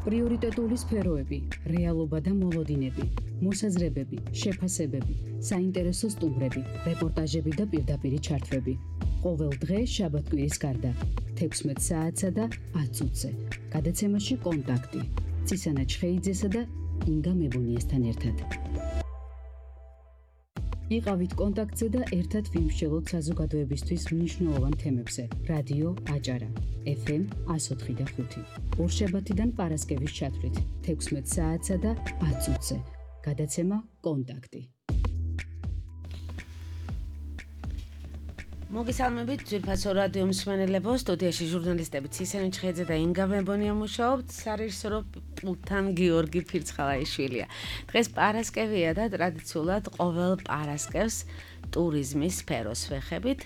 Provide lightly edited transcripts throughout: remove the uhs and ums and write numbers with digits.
პრიორიტეტული სფეროები, რეალობა და მოლოდინები, მოსაზრებები, შეფასებები, საინტერესო სტუმრები, რეპორტაჟები და პირდაპირი ჩართვები. ყოველ დღე შაბათ-კვირის გარდა 16 საათსა და 10 წუთზე. გადაცემაში კონტაქტი. ცისანა ჩხეიძესა და ინგა მებონიესთან ერთად. იყავით კონტაქტზე და ერთად ვიმსჯელოთ საზოგადოებისთვის მნიშვნელოვან თემებზე. რადიო აჭარა, FM 104 და 5. ორშაბათიდან პარასკევის ჩათვლით 16 საათსა და 10 წუთზე. გადაცემა კონტაქტი. მოგესალმებით ძვირფასო რადიო მსმენელებო, სტუდიაში ჟურნალისტები ცისანა ჩხეიძე და ინგა მებონია მუშაობთ, სარეჟისორო პულტთან გიორგი ფირცხალაიშვილია. დღეს პარასკევია და ტრადიციულად ყოველ პარასკევს ტურიზმის სფეროს ვეხებით.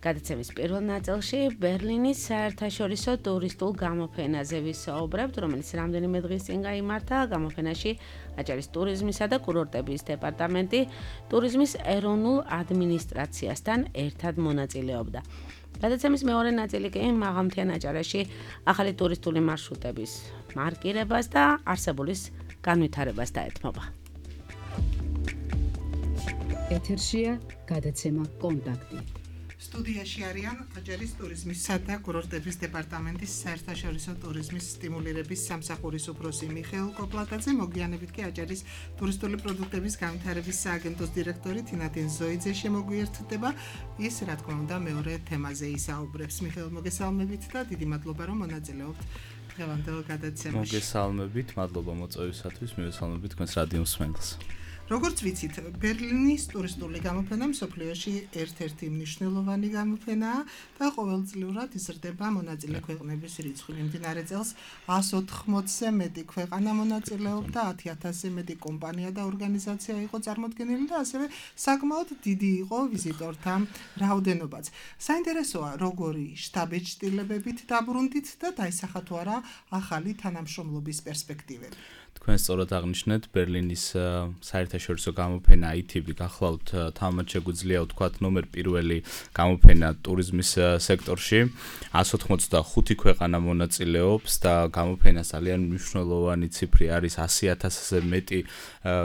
გადაცემის პირველ ნაწილში ბერლინის საერთაშორისო ტურისტულ გამოფენაზე ვისაუბრებთ, რომელიც რამდენიმე დღის წინ გაიმართა. გამოფენაში აჭარის ტურიზმისა და კურორტების დეპარტამენტი ტურიზმის ეროვნულ ადმინისტრაციასთან ერთად მონაწილეობდა. გადაცემის მეორე ნაწილი კი მაღალმთიან აჭარაში ახალი ტურისტული მარშრუტების მარკირებას და არსებულის განვითარებას დაეთმობა. ეთერშია გადაცემა კონტაქტი. სტუდიაში არიან აჭარის ტურიზმისა და კურორტების დეპარტამენტის საერთაშორისო ტურიზმის სტიმულირების სამსახურის უფროსი მიხეილ კოპლატაძე, მოგვიანებით კი აჭარის ტურისტული პროდუქტების განვითარების სააგენტოს დირექტორი თინათინ ზოიძე შემოგვიერთდება. ის, რა თქმა უნდა, მეორე თემაზე ისაუბრებს. მიხეილ, მოგესალმებით და დიდი მადლობა, რომ მონაწილეობთ დღევანდელ გადაცემაში. მოგესალმებით, მადლობა მოწვევისათვის, მივესალმებით თქვენს რადიო მსმენელს. როგორც ვიცით, ბერლინის ტურისტული გამოფენა მსოფლიოში ერთ-ერთი მნიშვნელოვანი გამოფენაა და ყოველწლიურად იზრდება მონაწილე ქვეყნების რიცხვი. მიმდინარე წელს 180-ზე მეტი ქვეყანა მონაწილეობდა, 10,000-ზე მეტი კომპანია და ორგანიზაცია იყო წარმოდგენილი და ასევე საკმაოდ დიდი იყო ვიზიტორთა რაოდენობაც. საინტერესოა, როგორი შთაბეჭდილებებით დაბრუნდით და დაისახა თუ არა ახალი თანამშრომლობის პერსპექტივები. თქვენ სწორად აღნიშნეთ, ბერლინის საერთაშორისო გამოფენა ITB გახლავთ თამამად შეგვიძლია ვთქვათ ნომერ პირველი გამოფენა ტურიზმის სექტორში. 185 ქვეყანა მონაწილეობს და გამოფენას ძალიან მნიშვნელოვანი ციფრი არის 100,000-ზე მეტი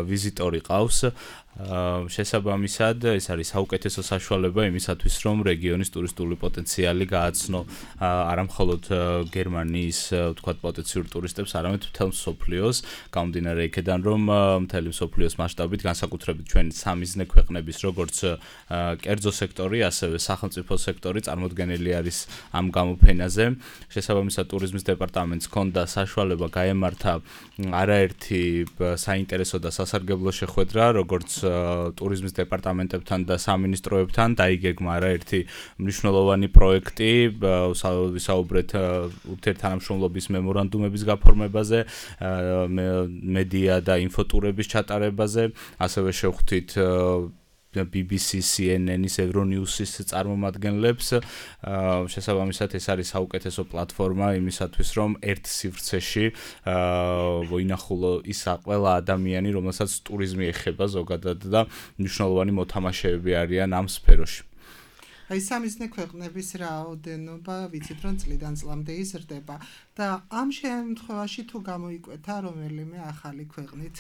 ვიზიტორი ყავს. შესაბამისად, ეს არის საუკეთესო საშუალება იმისათვის, რომ რეგიონის ტურისტული პოტენციალი გააცნო არა მხოლოდ გერმანიის ვთქვათ პოტენციურ ტურისტებს, არამედ მთელ მსოფლიოს. გამომდინარე იქედან, რომ მთელი მსოფლიოს მასშტაბით, განსაკუთრებით ჩვენ სამიზნე ქვეყნების, როგორც კერძო სექტორი, ასევე სახელმწიფო სექტორი წარმოდგენილი არის ამ გამოფენაზე. შესაბამისად, ტურიზმის დეპარტამენტს ჰქონდა საშუალება გაემართა არაერთი საინტერესო და სასარგებლო შეხვედრა, როგორც ტურიზმის დეპარტამენტებთან და სამინისტროებთან, დაიგეგმა არაერთი მნიშვნელოვანი პროექტი, ვისაუბრეთ ურთიერთთანამშრომლობის მემორანდუმების გაფორმებაზე, მედია და ინფოტურების ჩატარებაზე, ასევე შევხვდით BBC, CNN-ის, Euronews-ის წარმომადგენლებს. შესაბამისად, ეს არის საუკეთესო პლატფორმა იმისათვის, რომ ერთ სივრცეში ვინახულო ის ყველა ადამიანი, რომელსაც ტურიზმი ეხება ზოგადად და მნიშვნელოვანი მოთამაშეები არიან ამ სფეროში. აი სამიზნე ქვეყნების რაოდენობა ვიცით, რომ წლიდან წლამდე იზრდება და ამ შემთხვევაში თუ გამოიკვეთა რომელიმე ახალი ქვეყნით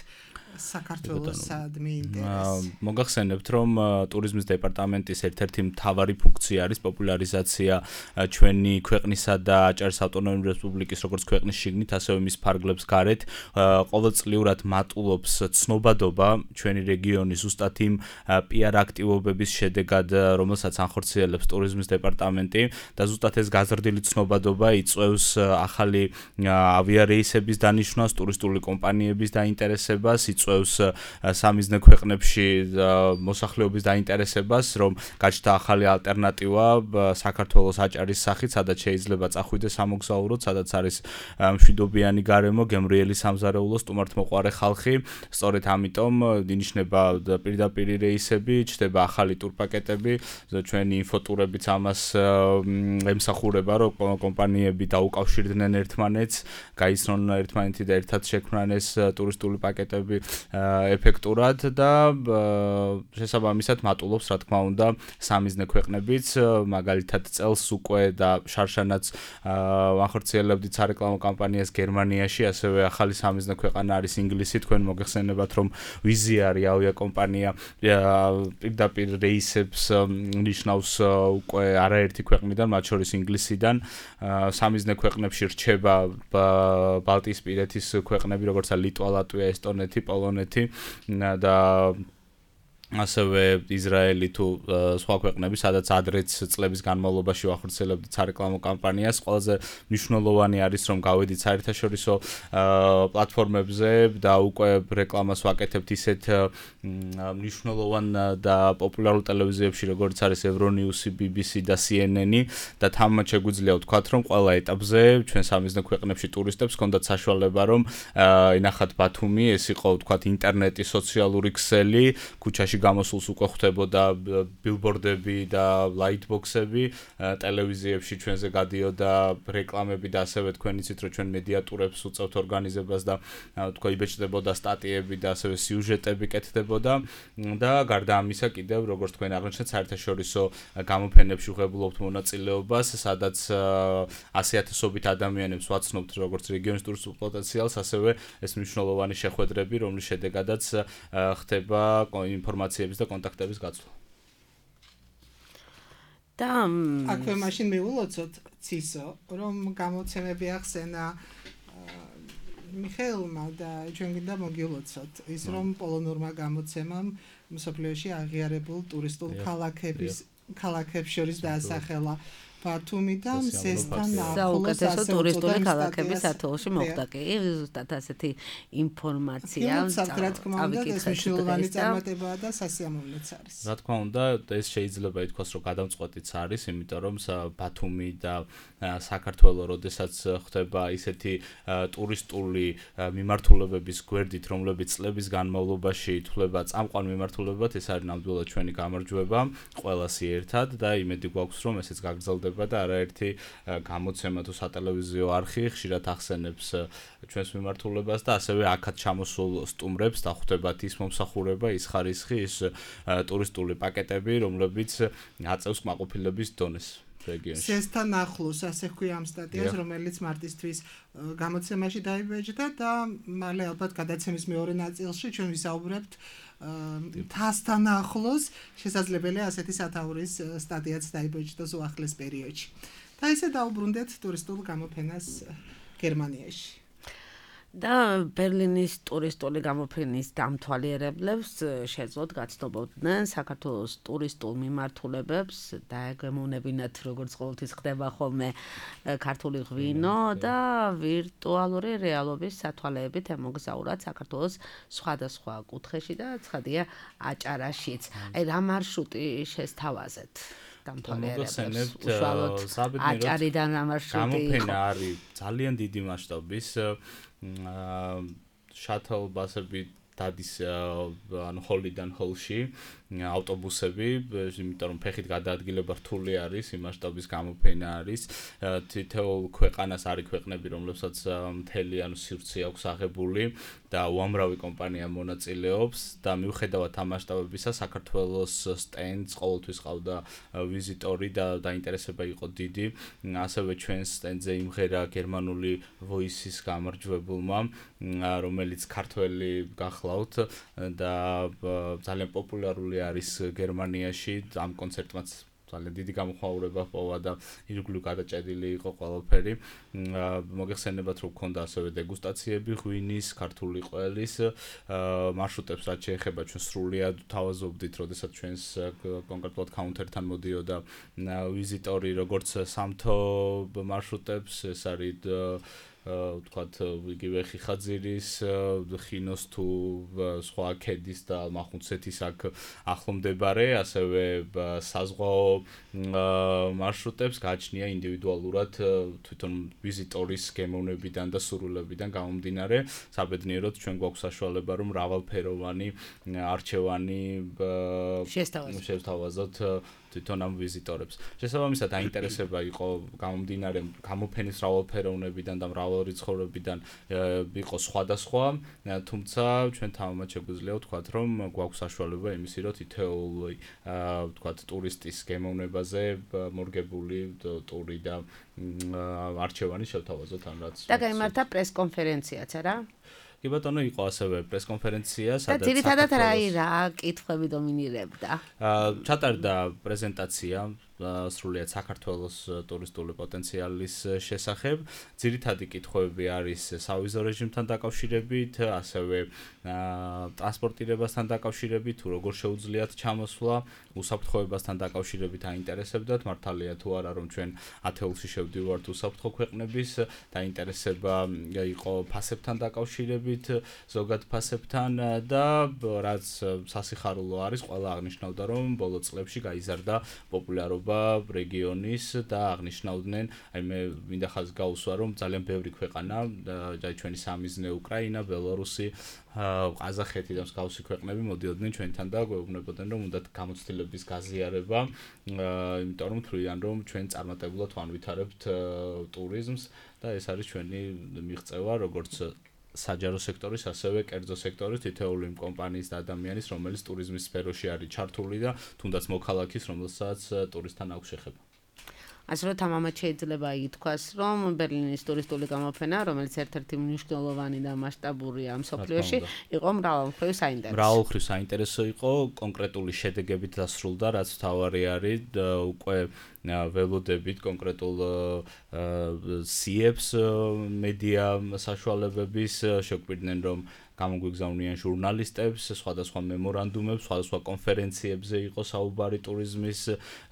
საქართველოსადმი ინტერესი. მოგახსენებთ, რომ ტურიზმის დეპარტამენტის ერთ-ერთი მთავარი ფუნქცია არის პოპულარიზაცია ჩვენი ქვეყნისა და აჭარის ავტონომიური რესპუბლიკის როგორც ქვეყნის შიგნით, ასევე მის ფარგლებს გარეთ. ყოველწლიურად მატულობს ცნობადობა ჩვენი რეგიონის ზუსტად იმ PR აქტივობების შედეგად, რომელსაც ანხორციელებს ტურიზმის დეპარტამენტი და ზუსტად ეს გაზრდილი ცნობადობა იწვევს ახალი ავიარეისების დანიშვნას, ტურისტული კომპანიების დაინტერესებას, იწვევს სამიზნე ქვეყნებში მოსახლეობის დაინტერესებას, რომ გაჩნდა ახალი ალტერნატივა საქართველოს აჭარის სახით, სადაც შეიძლება წახვიდეს სამოგზაუროდ, სადაც არის მშვიდობიანი გარემო, გემრიელი სამზარეულო, სტუმართმოყვარე ხალხი. სწორედ ამიტომ ინიშნება პირდაპირი რეისები, ჩნდება ახალი ტურპაკეტები, ჩვენი ინფოტურებიც ამას ემსახურება, რომ კომპანიები დაუკავშირდნენ ერთმანეთს, გაიცნონ ერთმანეთი და ერთად შექმნან ეს ტურისტული პაკეტები ეფექტურად და შესაბამისად მატულობს, რა თქმა უნდა, სამიზნე ქვეყნებიც, მაგალითად წელს უკვე და შარშანაც ვახორციელებდით სარეკლამო კამპანიას გერმანიაში, ასევე ახალი სამიზნე ქვეყანა არის ინგლისი, თქვენ მოგეხსენებათ, რომ ვიზიარი ავიაკომპანია პირდაპირ რეისებს ნიშნავს უკვე არაერთი ქვეყნიდან, მათ შორის ინგლისიდან, სამიზნე ქვეყნებში რჩება ბალტიისპირეთის ქვეყნები, როგორც ლიტვა, ლატვია, ესტონეთი, პოლონეთი და ასევე ისრაელი თუ სხვა ქვეყნები, სადაც ადრეც წლების განმავლობაში ვახორციელებდით სარეკლამო კამპანიას. ყველაზე მნიშვნელოვანი არის, რომ გავედით საერთაშორისო პლატფორმებზე და უკვე რეკლამას ვაკეთებთ ისეთ მნიშვნელოვან და პოპულარულ ტელევიზიებში, როგორც არის Euronews, BBC და CNN და თამამად შეგვიძლია ვთქვათ, რომ ყველა ეტაპზე ჩვენ სამიზნე ქვეყნებში ტურისტებს ჰქონდათ საშუალება, რომ ენახათ ბათუმი, ეს იყო ვთქვათ ინტერნეტი, სოციალური ქსელი, ქუჩაში გამოსულს უკვე ხვდებოდა ბილბორდები და ლაიტბოქსები, ტელევიზიებში ჩვენზე გადიოდა რეკლამები და ასევე თქვენ იცით, რომ ჩვენ მედიატურებს უწევთ ორგანიზებას და თქვა იბეჭდებოდა სტატიები და ასევე სიუჟეტები კეთდებოდა და გარდა ამისა კიდევ როგორც თქვენ აღნიშნეთ საერთაშორისო გამოფენებში ვღებულობთ მონაწილეობას, სადაც 100,000-ობით ადამიანებს ვაცნობთ როგორც რეგიონის ტურისტულ პოტენციალს, ასევე ეს მნიშვნელოვანი შეხვედრები, რომლის შედეგადაც ხდება ინფორმაციების და კონტაქტების გაცვლა. და აქვე მაშინ მიულოცოთ ცისო, რომ გამოცემები ახსენა მიხეილმა და ჩვენ გინდა მოგილოცოთ ის, რომ პოლონურმა გამოცემამ მსოფლიოში აღიარებულ ტურისტულ ქალაქებს შორის დაასახელა ბათუმი და მზესთან ახლოს საუკეთესო ტურისტული ქალაქების ათეულში მოხვდა კი ზუსტად ასეთი ინფორმაცია რა თქმა უნდა ეს მნიშვნელოვანი წარმატებაა და სასიამოვნოც არის. რა თქმა უნდა ეს შეიძლება ითქვას რომ გადამწყვეტიც არის, იმიტომ რომ ბათუმი და საქართველო როდესაც ხდება ისეთი ტურისტული მიმართულებების გვერდით, რომლებიც წლების განმავლობაში ითვლება წამყვან მიმართულებად, ეს არის ნამდვილად ჩვენი გამარჯვება ყველასი ერთად და იმედი გვაქვს რომ ესეც გაგრძელდება და არაერთი გამოცემა თუ სატელევიზიო არხი ხშირად ახსენებს ჩვენს მიმართულებას და ასევე აქაც ჩამოსულ სტუმრებს დახვდებათ ის მომსახურება, ის ხარისხი, ის ტურისტული პაკეტები, რომლებიც აწევს კმაყოფილების დონეს. მზესთან ახლოს, ასე ჰქვია ამ სტატიას, რომელიც მარტისთვის გამოცემაში დაიბეჭდა და მალე ალბათ გადაცემის მეორე ნაწილში ჩვენ ვისაუბრებთ მთასთან ახლოს, შესაძლებელია ასეთი სათაურის სტატიაც დაიბეჭდოს უახლეს პერიოდში. და ესე დაუბრუნდეთ ტურისტულ გამოფენას გერმანიაში. და ბერლინის ტურისტული გამოფენის დამთვალიერებლებს შეძლოთ გაცნობოდნენ საქართველოს ტურისტულ მიმართულებებს და ეგემონებინათ როგორც ყოველთვის ხდება ხოლმე ქართული ღვინო და ვირტუალური რეალობის სათვალეებით ემოგზაურათ საქართველოს სხვადასხვა კუთხეში და ცხადია აჭარაშიც. აი რა მარშრუტი შესთავაზეთ? უშუალოდ აჭარიდან რა მარშრუტი გამოფენა არის ძალიან დიდი მასშტაბის შატლ ბასები დადის ანუ ჰოლიდან ჰოლში ავტობუსები, იმიტომ რომ ფეხით გადაადგილება რთული არის, იმ მასშტაბის გამოფენა არის. თითოეულ ქვეყანას არის ქვეყნები, რომლებსაც მთელი ანუ სივრცე აქვს აღებული და უამრავი კომპანია მონაწილეობს და მიუხედავად ამ მასშტაბებისა, საქართველოს სტენდს ყოველთვის ყავდა ვიზიტორი და დაინტერესება იყო დიდი. ასევე ჩვენს სტენდზე იმღერა გერმანული Voice-ის გამარჯვებულმა, რომელიც ქართველი გახლავთ და ძალიან პოპულარული არის გერმანიაში. ამ კონცერტმაც ძალიან დიდი გამოხმაურება ჰპოვა და ირგვლივ გადაჭედილი იყო ყველაფერი. მოგეხსენებათ რომ გქონდა ასევე დეგუსტაციები ღვინის, ქართული ყველის მარშრუტებს რაც შეეხება ჩვენ სრულიად თავაზობდით, როდესაც ჩვენს კონკრეტულად კაუნტერთან მოდიოდა ვიზიტორი, როგორც სამთო მარშრუტებს, ეს არის ვთქვათ იგივე ხიხაძირის, ხინოს თუ სხვა ქედის და მახუნცეთის აქ ახლომდებარე, ასევე საზღვაო მარშრუტებს გააჩნია ინდივიდუალურად თვითონ ვიზიტორის გემოვნებიდან და სურვილებიდან გამომდინარე. საბედნიეროდ ჩვენ გვაქვს საშუალება რომ მრავალფეროვანი არჩევანი შევთავაზოთ თვითონ ამ ვიზიტორებს. შესაბამისად აინტერესება იყო გამომდინარე გამოფენის მრავალფეროვნებიდან და მრავალრიცხოვებიდან იყო სხვადასხვა, თუმცა ჩვენ თამამად შეგვიძლია ვთქვათ, რომ გვაქვს საშუალება იმისი, რომ თითოეული ვთქვათ ტურისტის გემოვნებაზე მორგებული ტური და არჩევანი შევთავაზოთ ამ რაც. და გაიმართა პრესკონფერენციაც, არა? კი ბატონო, იყო ასევე პრესკონფერენცია, სადაც და ძირითადად რა კითხვები დომინირებდა? ჩატარდა პრეზენტაცია სრულიად საქართველოს ტურისტული პოტენციალის შესახებ. ძირითადი კითხვები არის სავიზო რეჟიმთან დაკავშირებით, ასევე ტრანსპორტირებასთან დაკავშირებით, თუ როგორ შეუძლიათ ჩამოსვლა, უსაფრთხოებასთან დაკავშირებით აინტერესებდათ, მართალია თუ არა, რომ ჩვენ ათეულში შევდივართ უსაფრთხო ქვეყნების, დაინტერესება იყო ფასებთან დაკავშირებით, ზოგად ფასებთან და რაც სასიხარულო არის, ყველა აღნიშნავდა, რომ ბოლო წლებში გაიზარდა პოპულარობა რეგიონის და აღნიშნავდნენ, აი მე მინდა ხაზს გაუსვა, რომ ძალიან ბევრი ქვეყანა, ჩვენი სამიზნე უკრაინა, ბელარუსი, ყაზახეთი და მსგავსი ქვეყნები მოდიოდნენ ჩვენთან და გვეუბნებოდნენ, რომ უნდათ გამოცდილების გაზიარება, იმიტომ რომ თვლიან, რომ ჩვენ წარმატებულად ვანვითარებთ ტურიზმს და ეს არის ჩვენი მიღწევა, როგორც საჯარო სექტორის, ასევე კერძო სექტორის თითოეული იმ კომპანიის და ადამიანის, რომელიც ტურიზმის სფეროში არის ჩართული და თუნდაც მოქალაქის, რომელსაც ტურისტთან აქვს შეხება. ასე რომ თამამად შეიძლება ითქვას, რომ ბერლინის ტურისტული გამოფენა, რომელიც ერთ-ერთი მნიშვნელოვანი და მასშტაბურია მსოფლიოში, იყო მრავალმხრივ საინტერესო. მრავალმხრივ საინტერესო იყო, კონკრეტული შედეგებით დასრულდა, რაც თავარი არის, უკვე ველოდებით კონკრეტულ CEPs მედია საშუალებების შეგვიდნენ, რომ გამოგვიგზავნიან ჟურნალისტებს, სხვადასხვა მემორანდუმებს, სხვადასხვა კონფერენციებზე იყო საუბარი ტურიზმის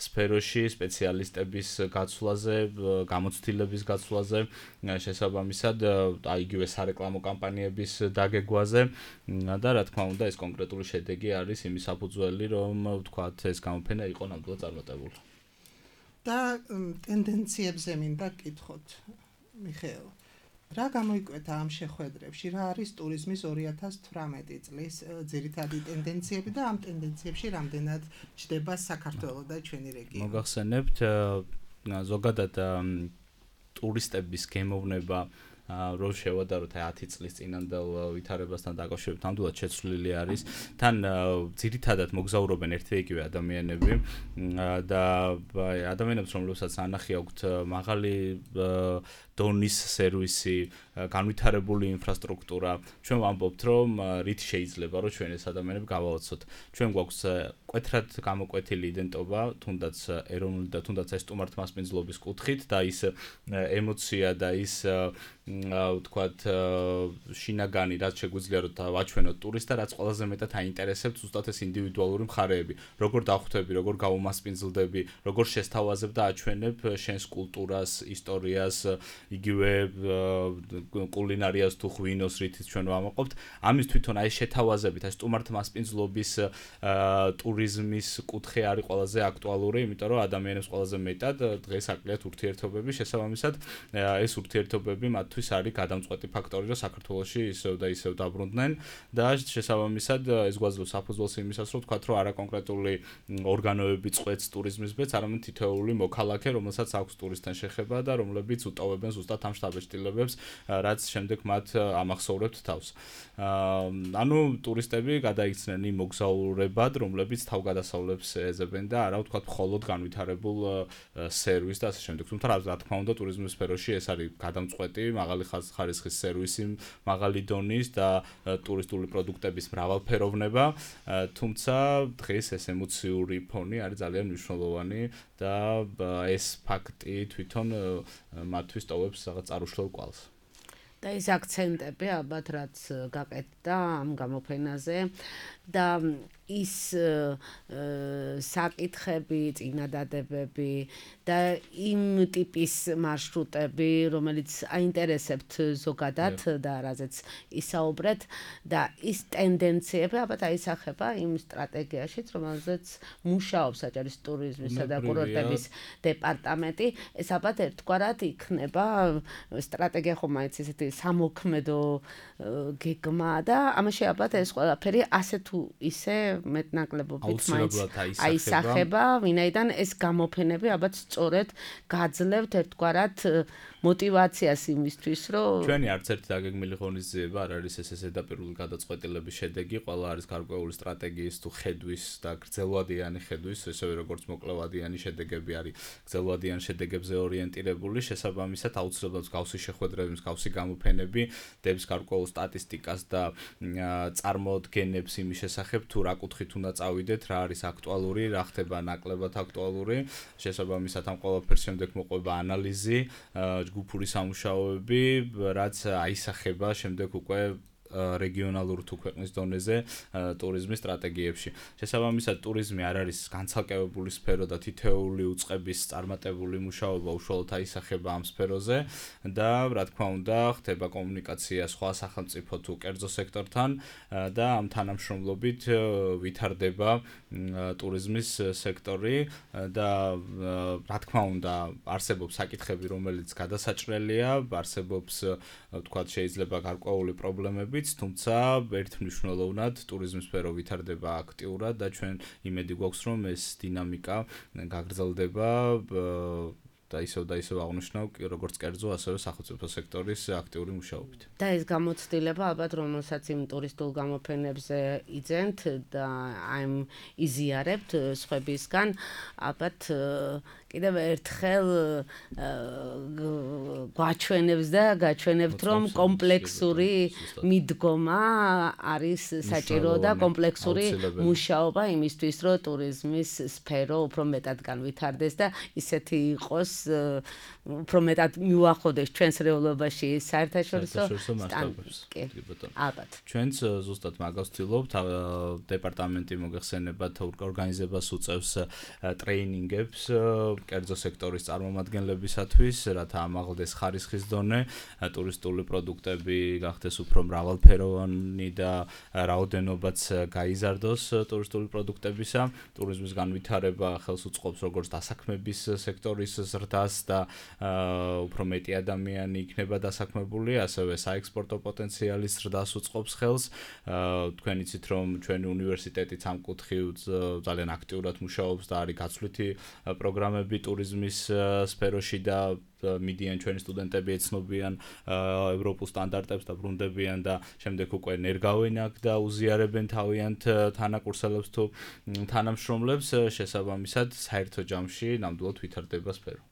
სფეროში, სპეციალისტების გაცვლაზე, გამოცდილების გაცვლაზე, შესაბამისად, იგივე სარეკლამო კამპანიების დაგეგვაზე და რა თქმა უნდა, ეს კონკრეტული შედეგი არის იმის საფუძველი, რომ ვთქვათ, ეს გამოფენა იყო ნამდვილად წარმატებული. და ტენდენციებზე მინდა გკითხოთ, მიხეილ. რა გამოიკვეთა ამ შეხვედრებში, რა არის ტურიზმის 2018 წლის ძირითადი ტენდენციები და ამ ტენდენციებში რამდენად ჩდება საქართველო და ჩვენი რეგიონი? მოგახსენებთ, ზოგადად ტურისტების გემოვნება რო შევადაროთ 10 წლის წინანდელ ვითარებასთან დაკავშირებით ნამდვილად შეცვლილი არის. თან ძირითადად მოგზაურობენ ერთი და იგივე ადამიანები და ადამიანებს, რომლებსაც ანახი აქვთ მაღალი დონის სერვისი, განვითარებული ინფრასტრუქტურა. ჩვენ ვამბობთ, რომ რით შეიძლება რომ ჩვენ ეს ადამიანები გავაოცოთ. ჩვენ გვაქვს კვეთრად გამოკვეთილი იდენტობა, თუნდაც ეროვნული და თუნდაც ეს სტუმართმასპინძლობის კუთხით და ის ემოცია და ის ვთქვათ შინაგანი, რაც შეგვიძლია რომ დავაჩვენოთ ტურისტს და რაც ყველაზე მეტად აინტერესებთ ზუსტად ეს ინდივიდუალური მხარეები. როგორ დავხვდები, როგორ გავუმასპინძლდები, როგორ შესთავაზებ და აჩვენებ შენს კულტურას, ისტორიას, იგივე კულინარიას თუ ღვინოს, რითიც ჩვენ ვამაყობთ. ამის თვითონ აი შეთავაზებით, აი სტუმართმასპინძლობის ტურიზმის კუთხე არის ყველაზე აქტუალური, იმიტომ რომ ადამიანებს ყველაზე მეტად დღეს აკლიათ ურთიერთობები, შესაბამისად ეს ურთიერთობები მათთვის არის გადამწყვეტი ფაქტორი, რომ საქართველოში ისევ და ისევ დაბრუნდნენ და შესაბამისად ეს გვაძლევს საფუძველს იმისას, რომ ვთქვათ, რომ არა კონკრეტული ორგანოები წყვეტს ტურიზმის ბედს, არამედ თითოეული მოქალაქე, რომელსაც აქვს ტურისტთან შეხება და რომლებიც უტოვებენ ზუსტად ამ შტაბ-ჭრილებებს, რაც შემდეგ მათ ამახსოვრებთ თავს. ანუ ტურისტები გადაიქცნენ იმ მოგზაურებად, რომლებიც თავგადასავლებს ეძებენ და არა ვთქვათ, მხოლოდ განვითარებულ სერვისს და ასე შემდეგ. თუმცა რა თქმა უნდა, ტურიზმის სფეროში ეს არის გადამწყვეტი, მაღალი ხარისხის სერვისი, მაღალი დონის და ტურისტული პროდუქტების მრავალფეროვნება, თუმცა დღეს ეს ემოციური ფონი არის ძალიან მნიშვნელოვანი და ეს ფაქტი თვითონ მათთვის ტოვებს რაღაც წარუშლელ კვალს. და ის აქცენტები ალბათ რაც გაკეთდა ამ გამოფენაზე და ის საკითხები, წინადადებები და იმ ტიპის მარშრუტები, რომელიც აინტერესებთ ზოგადად და რაზეც ისაუბრეთ და ის ტენდენციები ალბათ აისახება იმ სტრატეგიაშიც, რომელზეც მუშაობს საჯარის ტურიზმისა და კურორტების დეპარტამენტი. ეს ალბათ ერთგვარად იქნება სტრატეგია ხომ მაინც ესეთი სამოქმედო გეგმა და ამაში ალბათ ეს ყველაფერი ასე თუ ისე მეტნაკლებობით მაინც აისახება, ვინაიდან ეს გამოფენები ალბათ სწორედ გაძლევთ ერთგვარად мотиваციას იმისთვის, რომ ჩვენი არც ერთი დაგეგმილი ღონისძიება არ არის ეს ზედაპირული გადაწყვეტილების შედეგი, ყველა არის გარკვეული სტრატეგიის თუ ხედვის და გრძელვადიანი ხედვის, ესევე როგორც მოკლევადიანი შედეგები არის გრძელვადიან შედეგებზე ორიენტირებული, შესაბამისად აუცილებლად მსგავსი შეხვედრები, მსგავსი გამოფენები დებს გარკვეულ სტატისტიკას და წარმოდგენებს იმის შესახებ, თუ რა კუთხით უნდა წავიდეთ, რა არის აქტუალური, რა ხდება ნაკლებად აქტუალური, შესაბამისად ამ ყველაფერს შემდეგ მოყვება ანალიზი, ჯგუფური სამუშაოები, რაც აისახება შემდეგ უკვე რეგიონალურ თუ ქვეყნის დონეზე ტურიზმის სტრატეგიებში. შესაბამისად, ტურიზმი არ არის განცალკევებული სფერო და თითოეული უწყების წარმატებული მუშაობა უშუალოდ აისახება ამ სფეროზე და რა თქმა უნდა, ხდება კომუნიკაცია სხვა სახელმწიფო თუ კერძო სექტორთან და ამ თანამშრომლობით ვითარდება ტურიზმის სექტორი და რა თქმა უნდა, არსებობს საკითხები, რომელიც გადასაჭრელია, არსებობს ვთქვათ, შეიძლება გარკვეული პრობლემებიც, თუმცა ერთმნიშვნელოვნად ტურიზმის სფერო ვითარდება აქტიურად და ჩვენ იმედი გვაქვს, რომ ეს დინამიკა გაგრძელდება და ისევ აღნიშნავ, როგორც კერძო, ასევე სახელმწიფო სექტორის აქტიური მუშაობით. და ეს გამოცდილება ალბათ რომელსაც იმ ტურისტულ გამოფენებზე იძენთ და აი იზიარებთ სხვებისგან, ალბათ კიდევ ერთხელ გვაჩვენებს და გაჩვენებთ, რომ კომპლექსური მიდგომა არის საჭირო და კომპლექსური მუშაობა იმისთვის, რომ ტურიზმის სფერო უფრო მეტად განვითარდეს და ისეთი იყოს უფრო მეტად მიუახლოვდეს ჩვენს რეალობაში საერთაშორისო სტანდარტებს. ალბათ. ჩვენც ზუსტად მაგას ვცდილობთ, დეპარტამენტი მოგეხსენებათ ორგანიზებას უწევს ტრეინინგებს კერძო სექტორის წარმომადგენლებისათვის, რათა ამაღლდეს ხარისხის დონე, ტურისტული პროდუქტები გახდეს უფრო მრავალფეროვანი და რაოდენობაც გაიზარდოს ტურისტული პროდუქტებისა. ტურიზმის განვითარება ხელს უწყობს როგორც დასაქმების სექტორის ზრდას და უფრო მეტი ადამიანი იქნება დასაქმებული, ასევე საექსპორტო პოტენციალის ზრდას უწყობს ხელს. თქვენ იცით, რომ ჩვენი უნივერსიტეტიც ამ კუთხით ძალიან აქტიურად მუშაობს და არის გაცვლითი პროგრამები ტურიზმის სფეროში და მიდიან ჩვენი სტუდენტები ეცნობიან ევროპულ სტანდარტებს და ბრუნდებიან და შემდეგ უკვე ნერგავენ აქ და უზიარებენ თავიანთ თანაკურსელებს თუ თანამშრომლებს, შესაბამისად საერთო ჯამში ნამდვილად ვითარდება სფერო.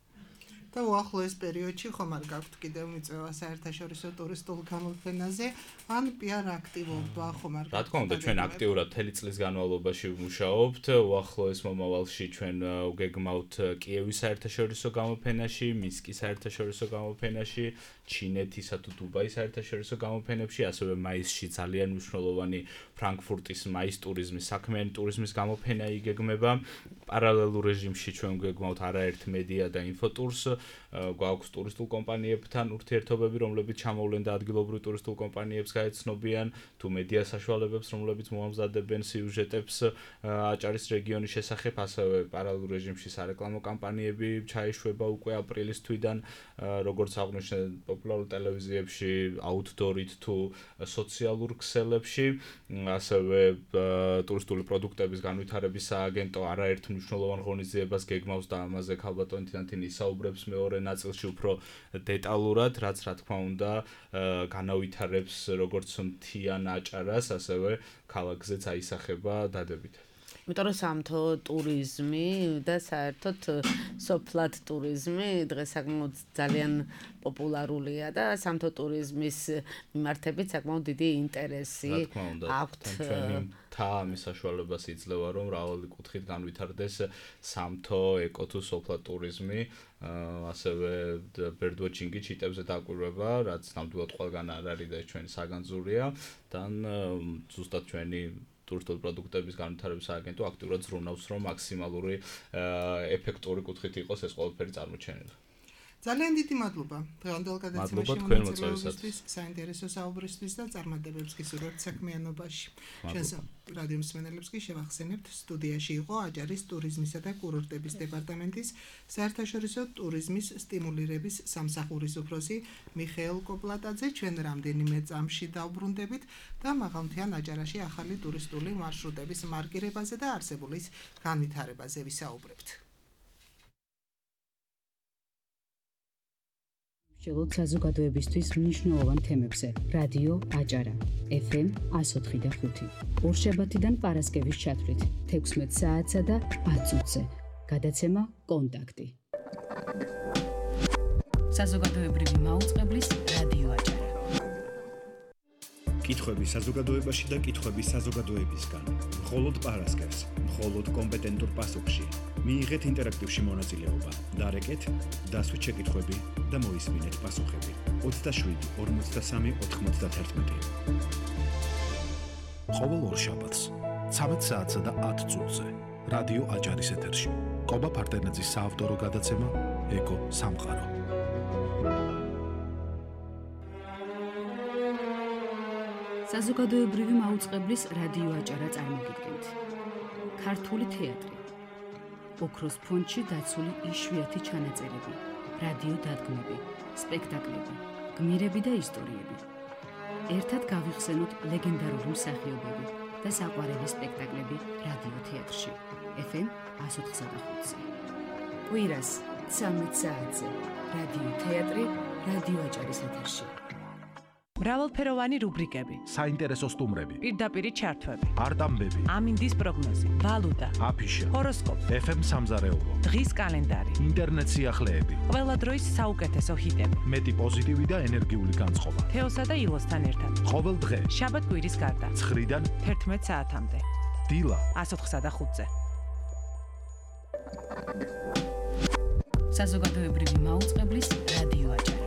და უახლოეს პერიოდში ხომ არ გაქვთ კიდევ მიწვევა საერთაშორისო ტურისტულ გამოფენაზე, ან პიარ აქტივობა ხომ არ გაქვთ? რა თქმა უნდა, ჩვენ აქტიურად მთელი წლის განმავლობაში ვმუშაობთ. უახლოეს მომავალში ჩვენ ვგეგმავთ კიევის საერთაშორისო გამოფენაში, მინსკის საერთაშორისო გამოფენაში, ჩინეთისა თუ დუბაის საერთაშორისო გამოფენებში, ასევე მაისში ძალიან მნიშვნელოვანი ფრანკფურტის მაის ტურიზმის, საქმიანი ტურიზმის გამოფენა იგეგმება. პარალელურ რეჟიმში ჩვენ ვგეგმავთ არაერთ მედია და ინფოტურს. გვაქვს ტურისტულ კომპანიებთან ურთიერთობები, რომლებიც ჩამოვლენ და ადგილობრივ ტურისტულ კომპანიებს გაეცნობიან, თუ მედია საშუალებებს, რომლებიც მოამზადებენ სიუჟეტებს აჭარის რეგიონის შესახებ, ასევე პარალელურ რეჟიმში სარეკლამო კამპანიები ჩაეშვება უკვე აპრილის თვიდან, როგორც აღნიშნე პოპულარულ ტელევიზიებში, აუთდორით თუ სოციალურ ქსელებში, ასევე ტურისტული პროდუქტების განვითარების სააგენტო არაერთ მნიშვნელოვან ღონისძიებას გეგმავს და ამაზე ქალბატონი თინათინი ისაუბრებს მეორე ნაწილში უფრო დეტალურად, რაც რა თქმა უნდა განავითარებს როგორც მთიან აჭარას, ასევე ქალაქზეც აისახება დადებით. იმიტომ რომ სამთო ტურიზმი და საერთოდ სოფლად ტურიზმი დღეს საკმაოდ ძალიან პოპულარულია და სამთო ტურიზმის მიმართებით საკმაოდ დიდი ინტერესი აქვთ. ჩვენი მთა ამის საშუალებას იძლევა, რომ მრავალი კუთხით განვითარდეს სამთო ეკო თუ სოფლად ტურიზმი, ასევე ბერდვოჩინგი ჩიტებზე დაკვირვება, რაც ნამდვილად ყველგან არ არის და ჩვენი საგანძურია, და ზუსტად ჩვენი ტურისტული პროდუქტების განვითარების სააგენტო აქტიურად ზრუნავს, რომ მაქსიმალური ეფექტური კუთხით იყოს ეს ყველაფერი წარმოჩენილი. ძალიან დიდი მადლობა დღევანდელ გადაცემაში მონაწილეობისთვის, საინტერესო საუბრისთვის და წარმატებებს გისურვებთ საქმიანობაში. ჩვენს რადიო მსმენელებს კი შევახსენებთ, სტუდიაში იყო აჭარის ტურიზმისა და კურორტების დეპარტამენტის საერთაშორისო ტურიზმის სტიმულირების სამსახურის უფროსი მიხეილ კოპლატაძე. ჩვენ რამდენიმე წამში დავბრუნდებით და მაღალმთიან აჭარაში ახალი ტურისტული მარშრუტების მარკირებაზე და არსებულის განვითარებაზე ვისაუბრებთ. შევოთ საზოგადოებისთვის მნიშვნელოვან თემებზე. რადიო აჭარა FM 104.5. ორშაბათიდან პარასკევის ჩათვლით 16 საათსა და 10 წუთზე. გადაცემა კონტაქტი. საზოგადოებრივი მაუწყებლის რადიო აჭარა. კითხვები საზოგადოებაში და კითხვები საზოგადოებისგან. მხოლოდ პარასკევს, მხოლოდ კომპეტენტურ პასუხში. მიიღეთ ინტერაქტივში მონაწილეობა. დარეკეთ, დასვით შეკითხვები და მოისმინეთ პასუხები. 27 43 91. ყოველ ორშაბათს 13 საათსა და 10 წუთზე. რადიო აჭარის ეთერში. კობა ფარტენაძის საავტორო გადაცემა ეკო სამყარო. საზოგადოებრივი მაუწყებლის რადიო აჭარა წარმოგიდგენთ. ქართული თეატრი. ოქროს ფონდში დაცული იშვიათი ჩანაწერები, რადიო დადგმები, სპექტაკლები, გმირები და ისტორიები. ერთად გავიხსენოთ ლეგენდარული მსახიობები და საყვარელი სპექტაკლები რადიო თეატრში. FM 104.5. კვირას 13 საათზე. რადიო თეატრი, რადიო აჭარის ეთერში. მრავალფეროვანი რუბრიკები, საინტერესო სტუმრები, პირდაპირი ჩართვები, არტამბები, ამინდის პროგნოზი, ვალუტა, აფიშა, ჰოროსკოპი, FM სამზარეულო, დღის კალენდარი, ინტერნეტ სიახლეები, ყველა დროის საუკეთესო ჰიტები, მეტი პოზიტივი და ენერგიული განწყობა. თეოსა და ილოსთან ერთად. ყოველ დღე, შაბათ-კვირის გარდა, 9-დან 11 საათამდე. დილა 104.5-ზე. საზოგადოებრივი მაუწყებლის რადიო აჭარა.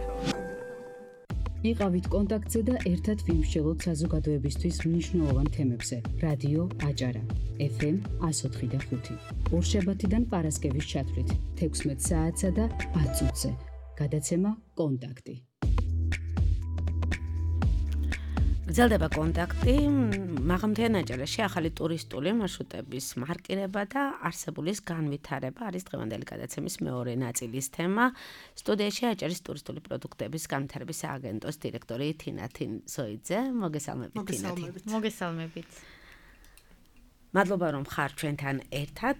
იყავით კონტაქტზე და ერთად ვიმსჯელოთ საზოგადოებისთვის მნიშვნელოვან თემებზე. რადიო აჭარა FM 104.5. ორშაბათიდან პარასკევის ჩათვლით 16 საათსა და 10 წუთზე. გადაცემა კონტაქტი. გრძელდება კონტაქტი, მაღალმთიან აჭარაში ახალი ტურისტული მარშრუტების მარკირება და არსებულის განვითარება არის დღევანდელი გადაცემის მეორე ნაწილის თემა. სტუდიაში აჭარის ტურისტული პროდუქტების განვითარების სააგენტოს დირექტორი თინა თინზოიძე. მოგესალმებით თინა. მოგესალმებით. მადლობა რომ ხარ ჩვენთან ერთად.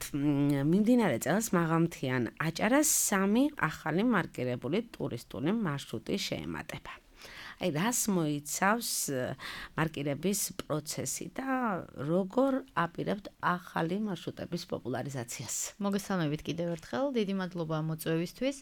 მიმდინარე წელს მაღალმთიან აჭარას 3 ახალი მარკირებული ტურისტული მარშრუტი შეემატება. აი რას მოიცავს მარკირების პროცესი და როგორ აპირებთ ახალი მარშრუტების პოპულარიზაციას? მოგესალმებით კიდევ ერთხელ, დიდი მადლობა მოწვევისთვის.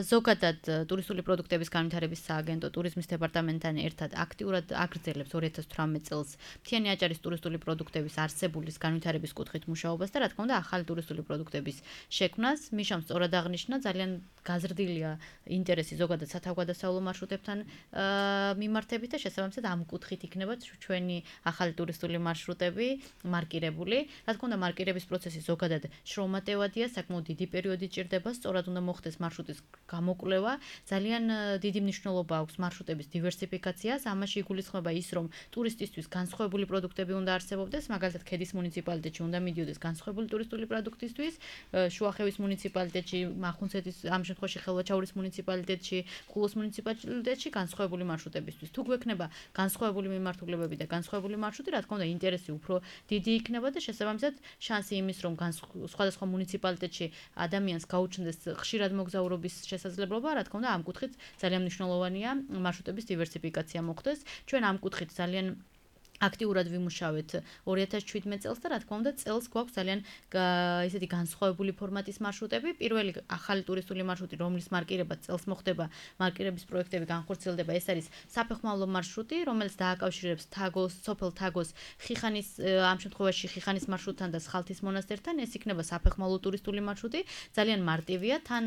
ზოგადად ტურისტული პროდუქტების განვითარების სააგენტო ტურიზმის დეპარტამენტთან ერთად აქტიურად აგრძელებს 2018 წელს მთიანი აჭარის ტურისტული პროდუქტების არსებულის განვითარების კუთხით მუშაობას და რა თქმა უნდა ახალი ტურისტული პროდუქტების შექმნას. მიშამ სწორად აღნიშნა, ძალიან გაზრდილია ინტერესი ზოგადად სათავგადასავლო მარშრუტებთან მიმართებით და შესაბამისად ამ კუთხით იქნება ჩვენი ახალი ტურისტული მარშრუტები მარკირებული. რა თქმა უნდა, მარკირების პროცესი ზოგადად შრომატევადია, საკმაოდ დიდი პერიოდი ჭირდება, სწორად უნდა მოხდეს მარშრუტის გამოკვლევა. ძალიან დიდი მნიშვნელობა აქვს მარშრუტების დივერსიფიკაციას. ამაში იგულისხმება ის, რომ ტურისტისთვის განსხვავებული პროდუქტები უნდა არსებობდეს, მაგალითად, ქედის მუნიციპალიტეტში უნდა მიდიოდეს განსხვავებული ტურისტული პროდუქტისთვის, შუახევის მუნიციპალიტეტში, მახუნცეთის, ამ შემთხვევაში ხელვაჩაურის მუნიციპალიტეტში, ხულოს მუნიციპალიტეტში განსხვავებული მარშრუტებისთვის. თუ გვექნება განსხვავებული მიმართულებები და განსხვავებული მარშრუტი, რა თქმა უნდა, ინტერესი უფრო დიდი იქნება და შესაბამისად შანსი იმის, რომ სხვადასხვა მუნიციპალიტეტში ადამიანს გაუჩნდეს ხშირად მოგზაურობის შესაძლებლობა, რა თქმა უნდა, ამ კუთხით ძალიან მნიშვნელოვანია მარშრუტების დივერსიფიკაცია მოხდეს. ჩვენ ამ კუთხით ძალიან აქტიურად ვიმუშავეთ 2017 წელს და რა თქმა უნდა წელს გვაქვს ძალიან ესეთი განსხვავებული ფორმატის მარშრუტები. პირველი ახალი ტურისტული მარშრუტი, რომლის მარკირება წელს მოხდება, მარკირების პროექტები განხორციელდება, ეს არის საფეხმავლო მარშრუტი, რომელიც დააკავშირებს თაგოს, სოფელ თაგოს, ხიხანის, ამ შემთხვევაში ხიხანის მარშრუტთან და სხალთის მონასტერთან. ეს იქნება საფეხმავლო ტურისტული მარშრუტი, ძალიან მარტივია. თან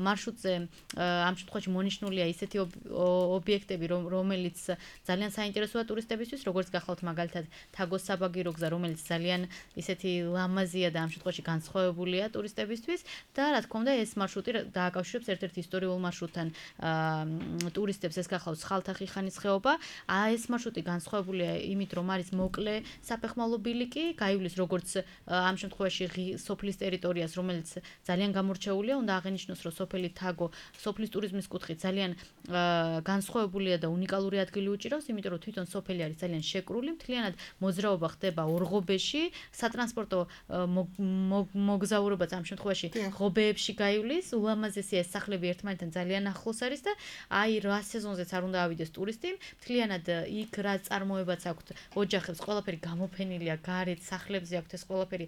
მარშრუტზე ამ შემთხვევაში მონიშნულია ისეთი ობიექტები, რომელიც ძალიან საინტერესოა ტურისტებისთვის, როგორც როგორც გახლავთ მაგალითად თაგოს საბაგირო გზა, რომელიც ძალიან ისეთი ლამაზია და ამ შემთხვევაში განსხვავებულია ტურისტებისთვის და რა თქმა უნდა ეს მარშრუტი დააკავშირებს ერთ-ერთ ისტორიულ მარშრუტთან ტურისტებს, ეს გახლავთ სხალთახიხანის ხეობა. ეს მარშრუტი განსხვავებულია იმით, რომ არის მოკლე საფეხმავლო ბილიკი, გაივლის როგორც ამ შემთხვევაში სოფლის ტერიტორიას, რომელიც ძალიან გამორჩეულია, უნდა აღინიშნოს, რომ სოფელი თაგო სოფლის ტურიზმის კუთხით ძალიან განსხვავებულია და უნიკალური ადგილი უჭირავს, იმიტომ რომ თვითონ სოფელი არის ძალიან შეკრული, მთლიანად მოძრაობა ხდება ორღობეში, სატრანსპორტო მოგზაურობაც ამ შემთხვევაში ღობეებში გაივლის, ულამაზესია ეს სახლები ერთმანეთთან ძალიან ახლოს არის და აი რა სეზონზეც არ უნდა ავიდეს ტურისტი, მთლიანად იქ რა წარმოებაც აქვთ, ოჯახებს, ყველაფერი გამოფენილია გარეთ, სახლებზე აქვთ ეს ყველაფერი,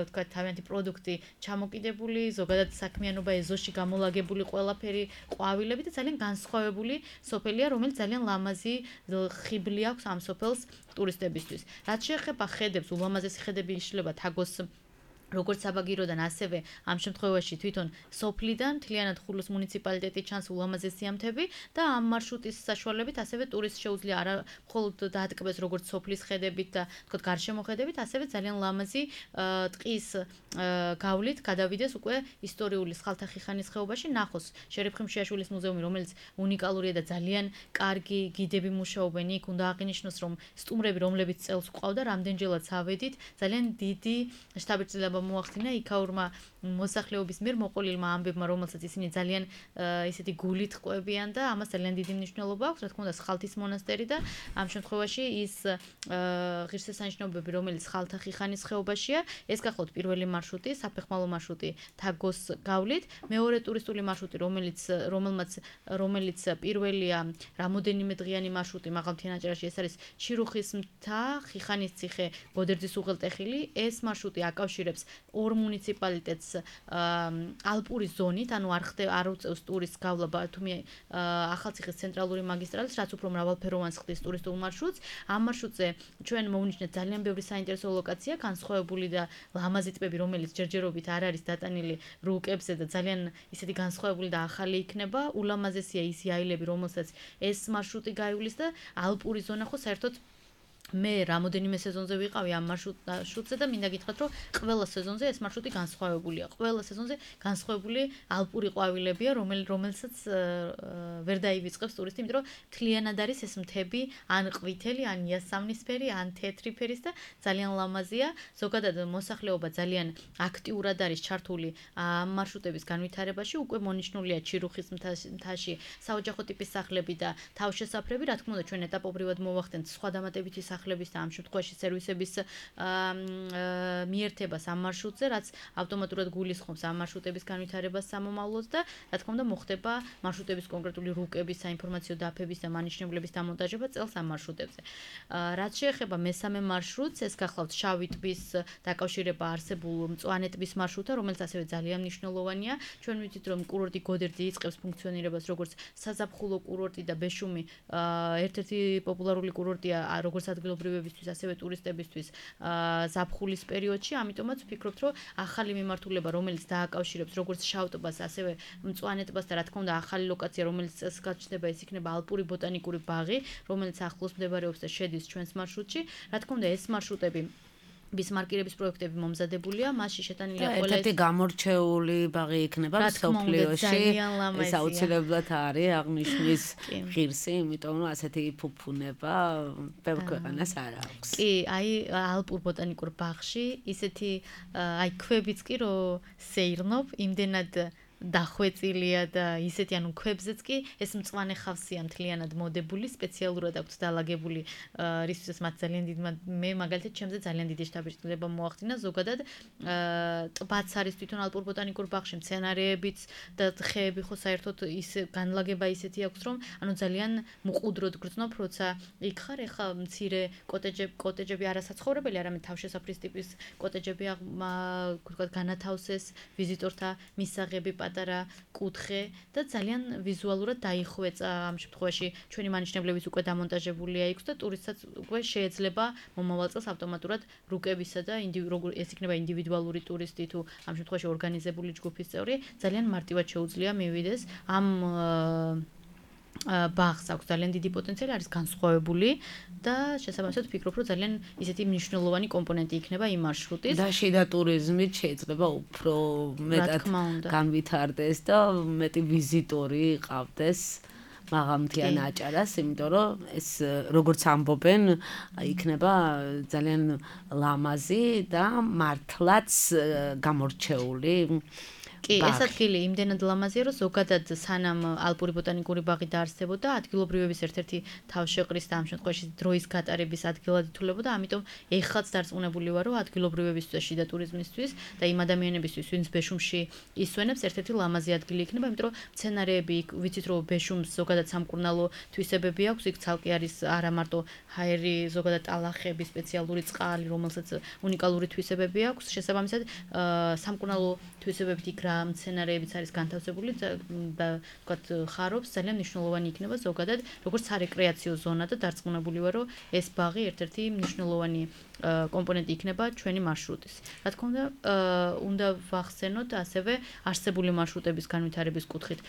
თქვა თავიანთი პროდუქტი ჩამოკიდებული, ზოგადად საქმიანობა ეზოში გამოლაგებული ყველაფერი, ყვავილები და ძალიან განსხვავებული სოფელია, რომელიც ძალიან ლამაზი ხიბლი აქვს ამ სოფელს ტურისტებისთვის. რაც შეეხება ხედებს, ულამაზესი ხედები იშლება თაგოს როგორც საბაგიროდან, ასევე ამ შემთხვევაში თვითონ სოფლიდან მთლიანად ხულოს მუნიციპალიტეტი ჩანს ულამაზესი ამთები და ამ მარშრუტის საშუალებით ასევე ტურისტს შეუძლია არა მხოლოდ დაატკბეს როგორც სოფლის ხედებით და თქო გარშემო ხედებით, ასევე ძალიან ლამაზი ტყის გავლით გადავიდეს უკვე ისტორიული სხალთახიხანის ხეობაში, ნახოს შერეფხი მშიაშვილის მუზეუმი, რომელიც უნიკალურია და ძალიან კარგი გიდები მუშაობენ იქ, უნდა აღინიშნოს, რომ სტუმრები, რომლებიც წელს ყავდა, რამდენჯერაც ავედით, ძალიან დიდი შთაბეჭდილება მოახდინა იქაურმა მოსახლეობის მიერ მოყოლილმა ამბებმა, რომელსაც ისინი ძალიან ისეთი გულით ყვებიან და ამას ძალიან დიდი მნიშვნელობა აქვს, რა თქმა უნდა, სხალთის მონასტერი და ამ შემთხვევაში ის ღირსშესანიშნაობები, რომელიც სხალთახიხანის ხეობაშია, ეს გახლავთ პირველი მარშრუტი, საფეხმავლო მარშრუტი თაგოს გავლით, მეორე ტურისტული მარშრუტი, რომელიც პირველია რამოდენიმე დღიანი მარშრუტი მაღალმთიანაჭარაში, ეს არის ჩირუხის მთა, ხიხანის ციხე, გოდერძის უღელტეხილი, ეს მარშრუტი აკავშირებს ორ მუნიციპალიტეტს ალპური ზონით, ანუ არ უწევს ტურისტს გავლა ბათუმი ახალციხის ცენტრალური მაგისტრალის, რაც უფრო მრავალფეროვანს ხდის ტურისტულ მარშრუტს. ამ მარშრუტზე ჩვენ მოვნიშნეთ ძალიან ბევრი საინტერესო ლოკაცია, განსხვავებული და ლამაზი ტბები, რომელიც ჯერჯერობით არ არის დატანილი რუკებზე და ძალიან ისეთი განსხვავებული და ახალი იქნება. ულამაზესია ის იაილები, რომელსაც ეს მარშრუტი გაივლის და ალპური ზონა ხო საერთოდ მე რამოდენიმე სეზონზე ვიყავი ამ მარშრუტზე და მინდა გითხრათ, რომ ყველა სეზონზე ეს მარშრუტი განსხვავებულია. ყველა სეზონზე განსხვავებული ალპური ყვავილებია, რომელსაც ვერ დაივიწყებს ტურისტი, იმიტომ რომ მთლიანად არის ეს მთები, ან ყვითელი, ან იასამნისფერი, ან თეთრი ფერის და ძალიან ლამაზია. ზოგადად მოსახლეობა ძალიან აქტიურად არის ჩართული ამ მარშრუტების განვითარებაში, უკვე მონიშნულია ჩირუხის მთაში საოჯახო ტიპის სახლები და თავშესაფრები, რა თქმა უნდა, ჩვენ ეტაპობრივად მოვახდენთ სხვა დამატებითი სახლების და ამ შემთხვევაში სერვისების მიერთებას ამ მარშრუტზე, რაც ავტომატურად გულისხმობს ამ მარშრუტების განვითარებას სამომავლოდ და რა თქმა უნდა მოხდება მარშრუტების კონკრეტული რუკების, საინფორმაციო დაფების და მანიშნებლების დამონტაჟება წელს ამ მარშრუტებზე. რაც შეეხება მესამე მარშრუტს, ეს გახლავთ შავი ტბის დაკავშირება არსებულ მწვანე ტბის მარშრუტთან, რომელიც ასევე ძალიან მნიშვნელოვანია. ჩვენ ვიცით, რომ კურორტი გოდერძი იწყებს ფუნქციონირებას როგორც საზაფხულო კურორტი და ბეშუმი ერთ-ერთი პოპულარული კურორტია როგორც ადგილობრივებისთვის, ასევე ტურისტებისთვის ზაფხულის პერიოდში, ამიტომაც ვფიქრობთ, რომ ახალი მიმართულება, რომელიც დააკავშირებს როგორც შავ ტბას, ასევე მწვანე ტბას და რა თქმა უნდა ახალი ლოკაცია, რომელიც წელს გაჩნდება, ეს იქნება ალპური ბოტანიკური ბაღი, რომელიც ახლოს მდებარეობს და შედის ჩვენს მარშრუტში. რა თქმა უნდა, ეს მარშრუტები ბისმარკირების პროექტები მომზადებულია, მასში შეტანილია ყველა ერთ-ერთი გამორჩეული ბაღი იქნება მსოფლიოში. ეს აუცილებლად არის აღნიშნის ღირსი, იმიტომ რომ ასეთი ფუფუნება ბევრ ქვეყანას არ აქვს. კი, აი ალპურ ბოტანიკურ ბაღში ისეთი აი ქვებიც კი რომ სეირნობ, იმდენად დახვეწილია და ისეთი ანუ ქვებზეც კი ეს მწვანე ხავსია მთლიანად მოდებული, სპეციალურად აქვს დალაგებული, რისთვისაც მათ ძალიან დიდი მე მაგალითად ჩემზე ძალიან დიდი შთაბეჭდილება მოახდინა. ზოგადად ტბაც არის თვითონ ალპურ ბოტანიკურ ბაღში, მცენარეებიც და ხეები ხო საერთოდ ის განლაგება ისეთი აქვს, რომ ანუ ძალიან მყუდროდ გრძნობ, როცა იქ ხარ, ეხა მცირე კოტეჯები არასაცხოვრებელი, არამედ თავშესაფრის ტიპის კოტეჯები ვთქვათ განათავსეს ვიზიტორთა მისაღები პატარა კუთხე და ძალიან ვიზუალურად დაიხვეწა ამ შემთხვევაში ჩვენი მანიშნებლების უკვე დამონტაჟებულია იქ და ტურისტსაც უკვე შეიძლება მომავალ წელს ავტომატურად რუკებისა და ეს იქნება ინდივიდუალური ტურისტი თუ ამ შემთხვევაში ორგანიზებული ჯგუფის წევრი ძალიან მარტივად შეუძლია მივიდეს ამ ბაღს აქვს ძალიან დიდი პოტენციალი, არის განსხვავებული და შესაბამისად ვფიქრობ, რომ ძალიან ისეთი მნიშვნელოვანი კომპონენტი იქნება იმ მარშრუტის. და შიდა ტურიზმით შეიძლება უფრო მეტად განვითარდეს და მეტი ვიზიტორი ყავდეს მაღალმთიან აჭარას, იმიტომ რომ ეს როგორც ამბობენ, იქნება ძალიან ლამაზი და მართლაც გამორჩეული. კი, ეს ადგილი იმდენად ლამაზია, რომ ზოგადად სანამ ალპური ბოტანიკური ბაღი დაარსებოდა, ადგილობრივების ერთ-ერთი თავშეყრის და ამ შემთხვევაში დროის გატარების ადგილად ითვლებოდა, ამიტომ ეხლაც დარწმუნებული ვარ, რომ ადგილობრივებისთვის, შიდა ტურიზმისთვის და იმ ადამიანებისთვის, ვინც ბეშუმში ისვენებს, ერთ-ერთი ლამაზი ადგილი იქნება, იმიტომ რომ მცენარეები, ვიცით რომ ბეშუმს ზოგადად სამკურნალო თვისებები აქვს, იქ ცალკე არის არა მარტო ჰაერი, ზოგადად ტალახები, სპეციალური წყალი, რომელსაც უნიკალური თვისებები აქვს, შესაბამისად სამკურნალო თვისებებით იქ მცენარეებიც არის განთავსებული და ვთქვათ ხარობს ძალიან მნიშვნელოვანი იქნება ზოგადად როგორც სარეკრეაციო ზონა და დარწმუნებული ვარ რომ ეს ბაღი ერთ-ერთი მნიშვნელოვანი კომპონენტი იქნება ჩვენი მარშრუტის. რა თქმა უნდა ვახსენოთ ასევე არსებული მარშრუტების განვითარების კუთხით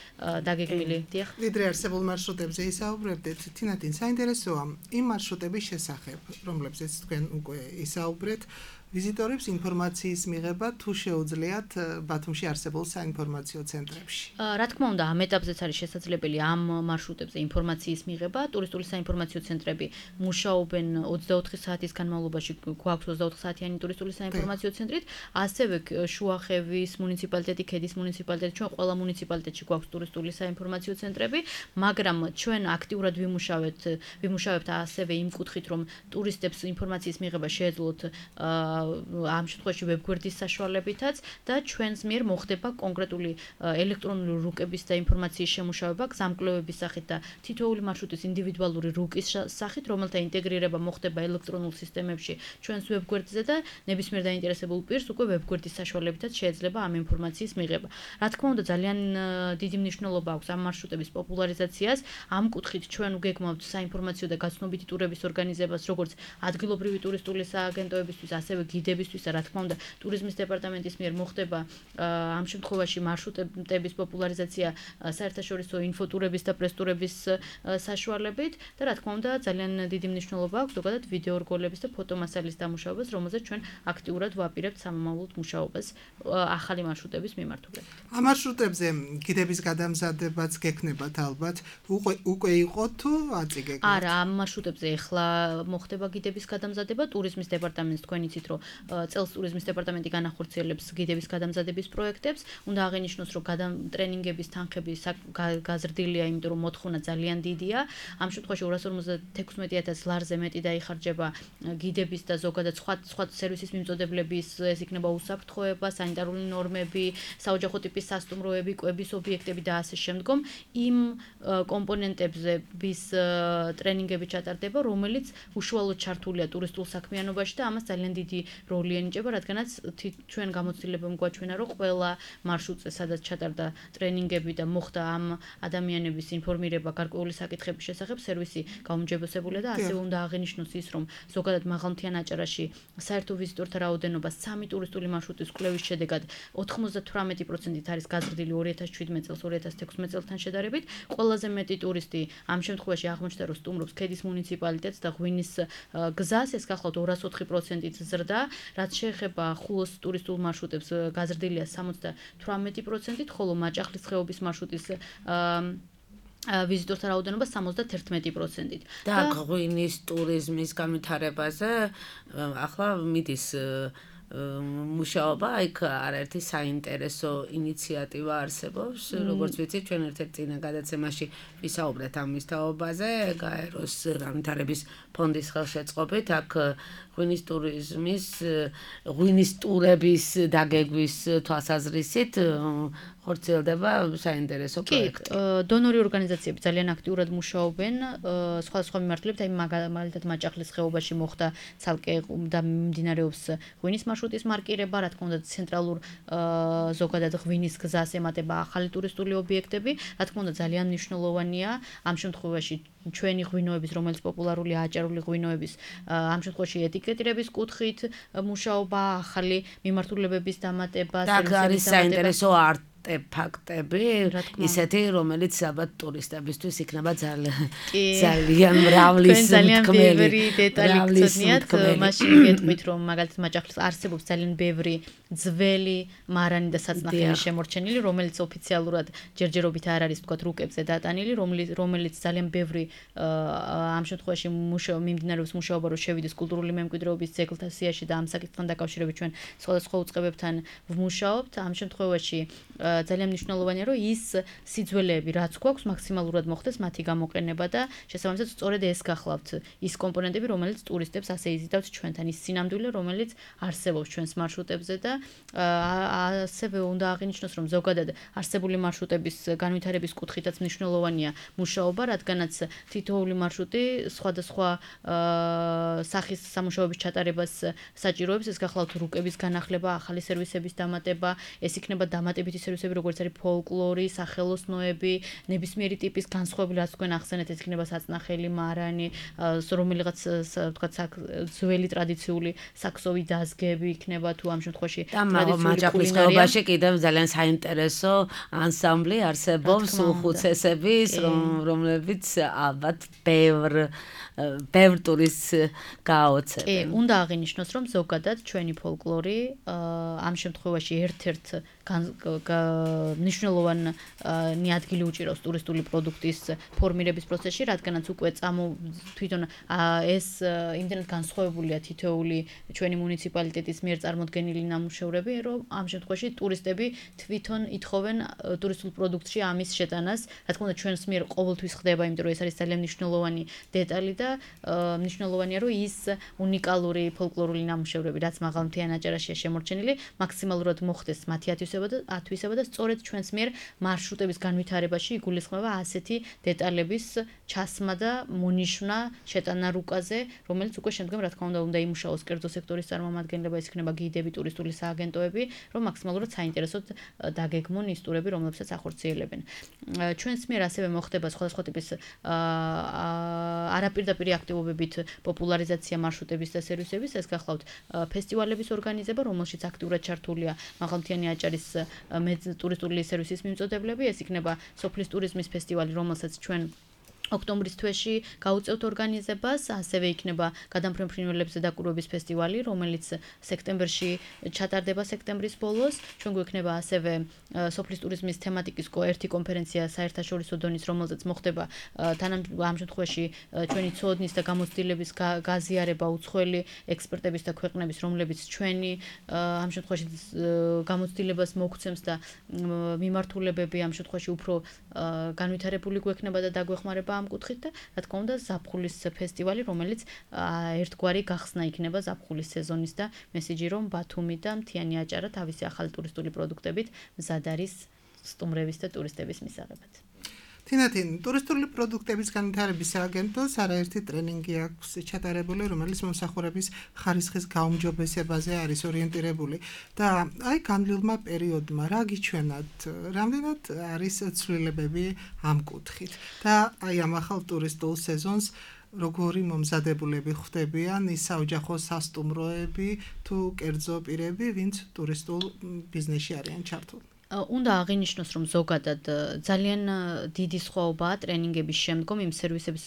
დაგეგმილი. დიახ. ვიდრე არსებულ მარშრუტებზე ისაუბრებდეთ, თინათინ საინტერესოა იმ მარშრუტების შესახებ, რომლებზეც თქვენ უკვე ისაუბრეთ. ვიზიტორებს ინფორმაციის მიღება თუ შეუძლიათ ბათუმში არსებულ საინფორმაციო ცენტრებში. რა თქმა უნდა, ამ ეტაპზეც არის შესაძლებელი ამ მარშრუტებზე ინფორმაციის მიღება. ტურისტული საინფორმაციო ცენტრები მუშაობენ 24 საათის განმავლობაში, გვაქვს 24 საათიანი ტურისტული საინფორმაციო ცენტრით, ასევე შუახევის მუნიციპალიტეტი, ქედის მუნიციპალიტეტი, ჩვენ ყველა მუნიციპალიტეტში გვაქვს ტურისტული საინფორმაციო ცენტრები, მაგრამ ჩვენ აქტიურად ვიმუშავებთ ასევე იმ კუთხით, რომ ტურისტებს ინფორმაციის მიღება შეეძლოთ ამ შემთხვევაში ვებგვერდის საშუალებითაც და ჩვენს მიერ მოხდება კონკრეტული ელექტრონული რუკების და ინფორმაციის შემუშავება გზამკვლევების სახით და თითოეული მარშრუტის ინდივიდუალური რუკის სახით, რომელთა ინტეგრირება მოხდება ელექტრონულ სისტემებში ჩვენს ვებგვერდზე და ნებისმიერ დაინტერესებულ პირს უკვე ვებგვერდის საშუალებითაც შეიძლება ამ ინფორმაციის მიღება. რა თქმა უნდა, ძალიან დიდი მნიშვნელობა აქვს ამ მარშრუტების პოპულარიზაციას. ამ კუთხით ჩვენ ვგეგმავთ საინფორმაციო და გაცნობიტი ტურების ორგანიზებას, როგორც ადგილობრივი ტურისტული სააგენტოებისთვის, ასევე გიდებისთვის და რა თქმა უნდა ტურიზმის დეპარტამენტის მიერ მოხდება ამ შემთხვევაში მარშრუტების პოპულარიზაცია საერთაშორისო ინფოტურების და პრესტურების საშუალებით და რა თქმა უნდა ძალიან დიდი მნიშვნელობა აქვს ზოგადად ვიდეო რგოლების და ფოტომასალის დამუშავებას, რომელზეც ჩვენ აქტიურად ვაპირებთ სამომავლოდ მუშაობას ახალი მარშრუტების მიმართულებით. ამ მარშრუტებზე გიდების გადამზადებაც გექნებათ ალბათ. უკვე იყო თუ აწიგეგმეთ? არა, ამ მარშრუტებზე ახლა მოხდება გიდების გადამზადება, ტურიზმის დეპარტამენტს თქვენ იცით რომ წელს ტურიზმის დეპარტამენტი განახორციელებს გიდების გადამზადების პროექტებს. უნდა აღინიშნოს, რომ ტრენინგების თანხები გაზრდილია, იმიტომ რომ მოთხოვნა ძალიან დიდია. ამ შემთხვევაში 256,000 ლარზე მეტი დაიხარჯება გიდების და ზოგადად სხვა სერვისის მიმწოდებლების, ეს იქნება უსაფრთხოება, სანიტარული ნორმები, საოჯახო ტიპის სასტუმროები, კვების ობიექტები და ასე შემდგომ. იმ კომპონენტებზე ვის ტრენინგები ჩატარდება, რომელიც უშუალოდ ჩართულია ტურისტულ საქმიანობაში და ამას ძალიან დიდი როლი ენიჭება, რადგანაც ჩვენ გამოცდილებამ გვაჩვენა, რომ ყველა მარშრუტზე, სადაც ჩატარდა ტრენინგები და მოხდა ამ ადამიანების ინფორმირება გარკვეული საკითხების შესახებ, სერვისი გაუმჯობესებულია და ასევე უნდა აღინიშნოს ის, რომ ზოგადად მაღალმთიან აჭარაში საერთო ვიზიტორთა რაოდენობა 3 ტურისტული მარშრუტის კვლევის შედეგად 98%-ით არის გაზრდილი 2017 წელს 2016 წელთან შედარებით. ყველაზე მეტი ტურისტი ამ შემთხვევაში აღმოჩნდა, რომ სტუმრობს ქედის მუნიციპალიტეტს და ღვინის გზას, ეს გახლავთ 204%-ით ზრდა, რაც შეეხება ხულოს ტურისტულ მარშრუტებს გაზრდილია 78%-ით, ხოლო მაჭახლის ხეობის მარშრუტის ვიზიტორთა რაოდენობა 71%-ით. და ღვინის ტურიზმის განვითარებაზე ახლა მიდის მუშაობა, იქ არაერთი საინტერესო ინიციატივა არსებობს, როგორც ვიცით, ჩვენ ერთ-ერთ წინა გადაცემაში ვისაუბრეთ ამის თაობაზე, გაეროს განვითარების ფონდის ხელშეწყობით, აქ ღვინის ტურების დაგეგმვის თვალსაზრისით ხორციელდება საინტერესო პროექტი. დონორი ორგანიზაციები ძალიან აქტიურად მუშაობენ სხვადასხვა მიმართულებით, აი მაგალითად მაჭახლის ხეობაში მოხდა ცალკე და მიმდინარეობს ღვინის მარშრუტის მარკირება, რა თქმა უნდა ცენტრალურ ზოგადად ღვინის გზას ემატება ახალი ტურისტული ობიექტები, რა თქმა უნდა ძალიან მნიშვნელოვანია ამ შემთხვევაში ჩვენი ღვინოების, რომელიც პოპულარულია აჭარული ღვინოების, ამ შემთხვევაში ეტიკეტირების კუთხით მუშაობა, ახალი მიმართულებების დამატება, და არის საინტერესო არტეფაქტები, ისეთი, რომელიც ალბათ ტურისტებისთვის იქნება ძალიან მრავლის ბევრი დეტალი გწოდნიათ, მაშინ გეტყვით, რომ მაგალითად მაჭახლის არსებობს ძალიან ბევრი ძველი მარანი და საწნახელი შემორჩენილი, რომელიც ოფიციალურად ჯერჯერობით არ არის თქვათ რუკებზე დატანილი, რომელიც ძალიან ბევრი ამ შემთხვევაში მიმდინარეობს მუშაობა, რომ შევიდეს კულტურული მემკვიდრეობის ძეგლთა სიაში და ამ საკითხთან დაკავშირებით ჩვენ სხვადასხვა უწყებებთან ვმუშაობთ. ამ შემთხვევაში ძალიან მნიშვნელოვანია, რომ ის სიძველეები, რაც გვაქვს, მაქსიმალურად მოხდეს მათი გამოყენება და შესაბამისად სწორედ ეს გახლავთ ის კომპონენტები, რომელიც ტურისტებს ასე იზიდავთ ჩვენთან, ის სინამდვილე, რომელიც არსებობს ჩვენს მარშრუტებზე და ასევე უნდა აღინიშნოს, რომ ზოგადად არსებული მარშრუტების განვითარების კუთხითაც მნიშვნელოვანია მუშაობა, რადგანაც თითოეული მარშრუტი სხვადასხვა სახის სამუშაოების ჩატარებას საჭიროებს, ეს გახლავთ რუკების განახლება, ახალი სერვისების დამატება, ეს იქნება დამატებითი სერვისები, როგორც არის ფოლკლორი, სახელოსნოები, ნებისმიერი ტიპის განსხვავებული, რაც თქვენ ახსენეთ, ეს იქნება საწნახელი, მარანი, რომელიღაც თქვათ ძველი ტრადიციული საქსოვი დაზგები იქნება თუ ამ შემთხვევაში მაჭახლის ხეობაში კიდევ ძალიან საინტერესო ანსამბლი არსებობს უხუცესების, რომლებიც ალბათ ბევრ ტურისტს გააოცებენ. კი, უნდა აღინიშნოს, რომ ზოგადად ჩვენი ფოლკლორი ამ შემთხვევაში ერთ-ერთ მნიშვნელოვანი ადგილი უჭირავს ტურისტული პროდუქტის ფორმირების პროცესში, რადგანაც უკვე თვითონ ეს იმდენად განსხვავებულია თითოეული ჩვენი მუნიციპალიტეტის მიერ წარმოდგენილი ნამუშევრები, რომ ამ შემთხვევაში ტურისტები თვითონ ითხოვენ ტურისტულ პროდუქტში ამის შეტანას. რა თქმა უნდა, ჩვენს მიერ ყოველთვის ხდება, იმიტომ რომ ეს არის ძალიან მნიშვნელოვანი დეტალი და მნიშვნელოვანია, რომ ის უნიკალური ფოლკლორული ნამუშევრები, რაც მაღალმთიან აჭარაშია შემორჩენილი, მაქსიმალურად მოხდეს მათი ათვისება და სწორედ ჩვენს მიერ მარშრუტების განვითარებაში იგულისხმება ასეთი დეტალების ჩასმა და მონიშნა შეტანა რუკაზე, რომელიც უკვე შემდგომ რა თქმა უნდა იმუშაოს კერძო სექტორის წარმომადგენლება, ის იქნება გიდები, ტურისტული სააგენტოები, რომ მაქსიმალურად საინტერესოდ დაგეგმონ ის ტურები, რომლებსაც ახორციელებენ. ჩვენს მიერ ასევე მოხდება სხვადასხვა ტიპის არაპირდაპირი აქტივობებით პოპულარიზაცია მარშრუტების და სერვისების, ეს გახლავთ ფესტივალების ორგანიზება, რომელშიც აქტიურად ჩართულია მაღალმთიანი აჭარის ტურისტული სერვისის მიმწოდებლები, ეს იქნება სოფლის ტურიზმის ფესტივალი, რომელსაც ჩვენ ოქტომბრის თვეში გაუწევთ ორგანიზებას, ასევე იქნება გადამფრენ ფრინველებზე დაკვირვების ფესტივალი, რომელიც სექტემბერში ჩატარდება სექტემბრის ბოლოს. ჩვენ გვექნება ასევე სოფლის ტურიზმის თემატიკის ერთი კონფერენცია საერთაშორისო დონის, რომელზეც მოხდება ამ შემთხვევაში ჩვენი ცოდნის და გამოცდილების გაზიარება უცხოელი ექსპერტების და ქვეყნების, რომლებიც ჩვენი ამ შემთხვევაში გამოცდილებას მოგცემს და მიმართულებები ამ შემთხვევაში უფრო განვითარებული გვექნება და დაგვეხმარება ამ კუთხით და რა თქმა უნდა ზაფხულის ფესტივალი, რომელიც ერთგვარი გახსნა იქნება ზაფხულის სეზონის და მესიჯი რომ ბათუმი და მთიანი აჭარა თავისი ახალი ტურისტული პროდუქტებით მზად არის სტუმრების და ტურისტების მისაღებად. თინათინ, ტურისტული პროდუქტების განვითარების სააგენტოს არაერთი ტრენინგი აქვს ჩატარებული, რომელიც მომსახურების ხარისხის გაუმჯობესებაზე არის ორიენტირებული და აი განვლილმა პერიოდმა რა გიჩვენათ, რამდენად არის ცვლილებები ამ კუთხით და აი ამ ახალ ტურისტულ სეზონს როგორი მომზადებულები ხდებიან ის საოჯახო სასტუმროები თუ კერძო პირები, ვინც ტურისტულ ბიზნესში არიან ჩართული. უნდა აღინიშნოს, რომ ზოგადად ძალიან დიდი სხვაობაა ტრენინგების შემდგომ იმ სერვისების,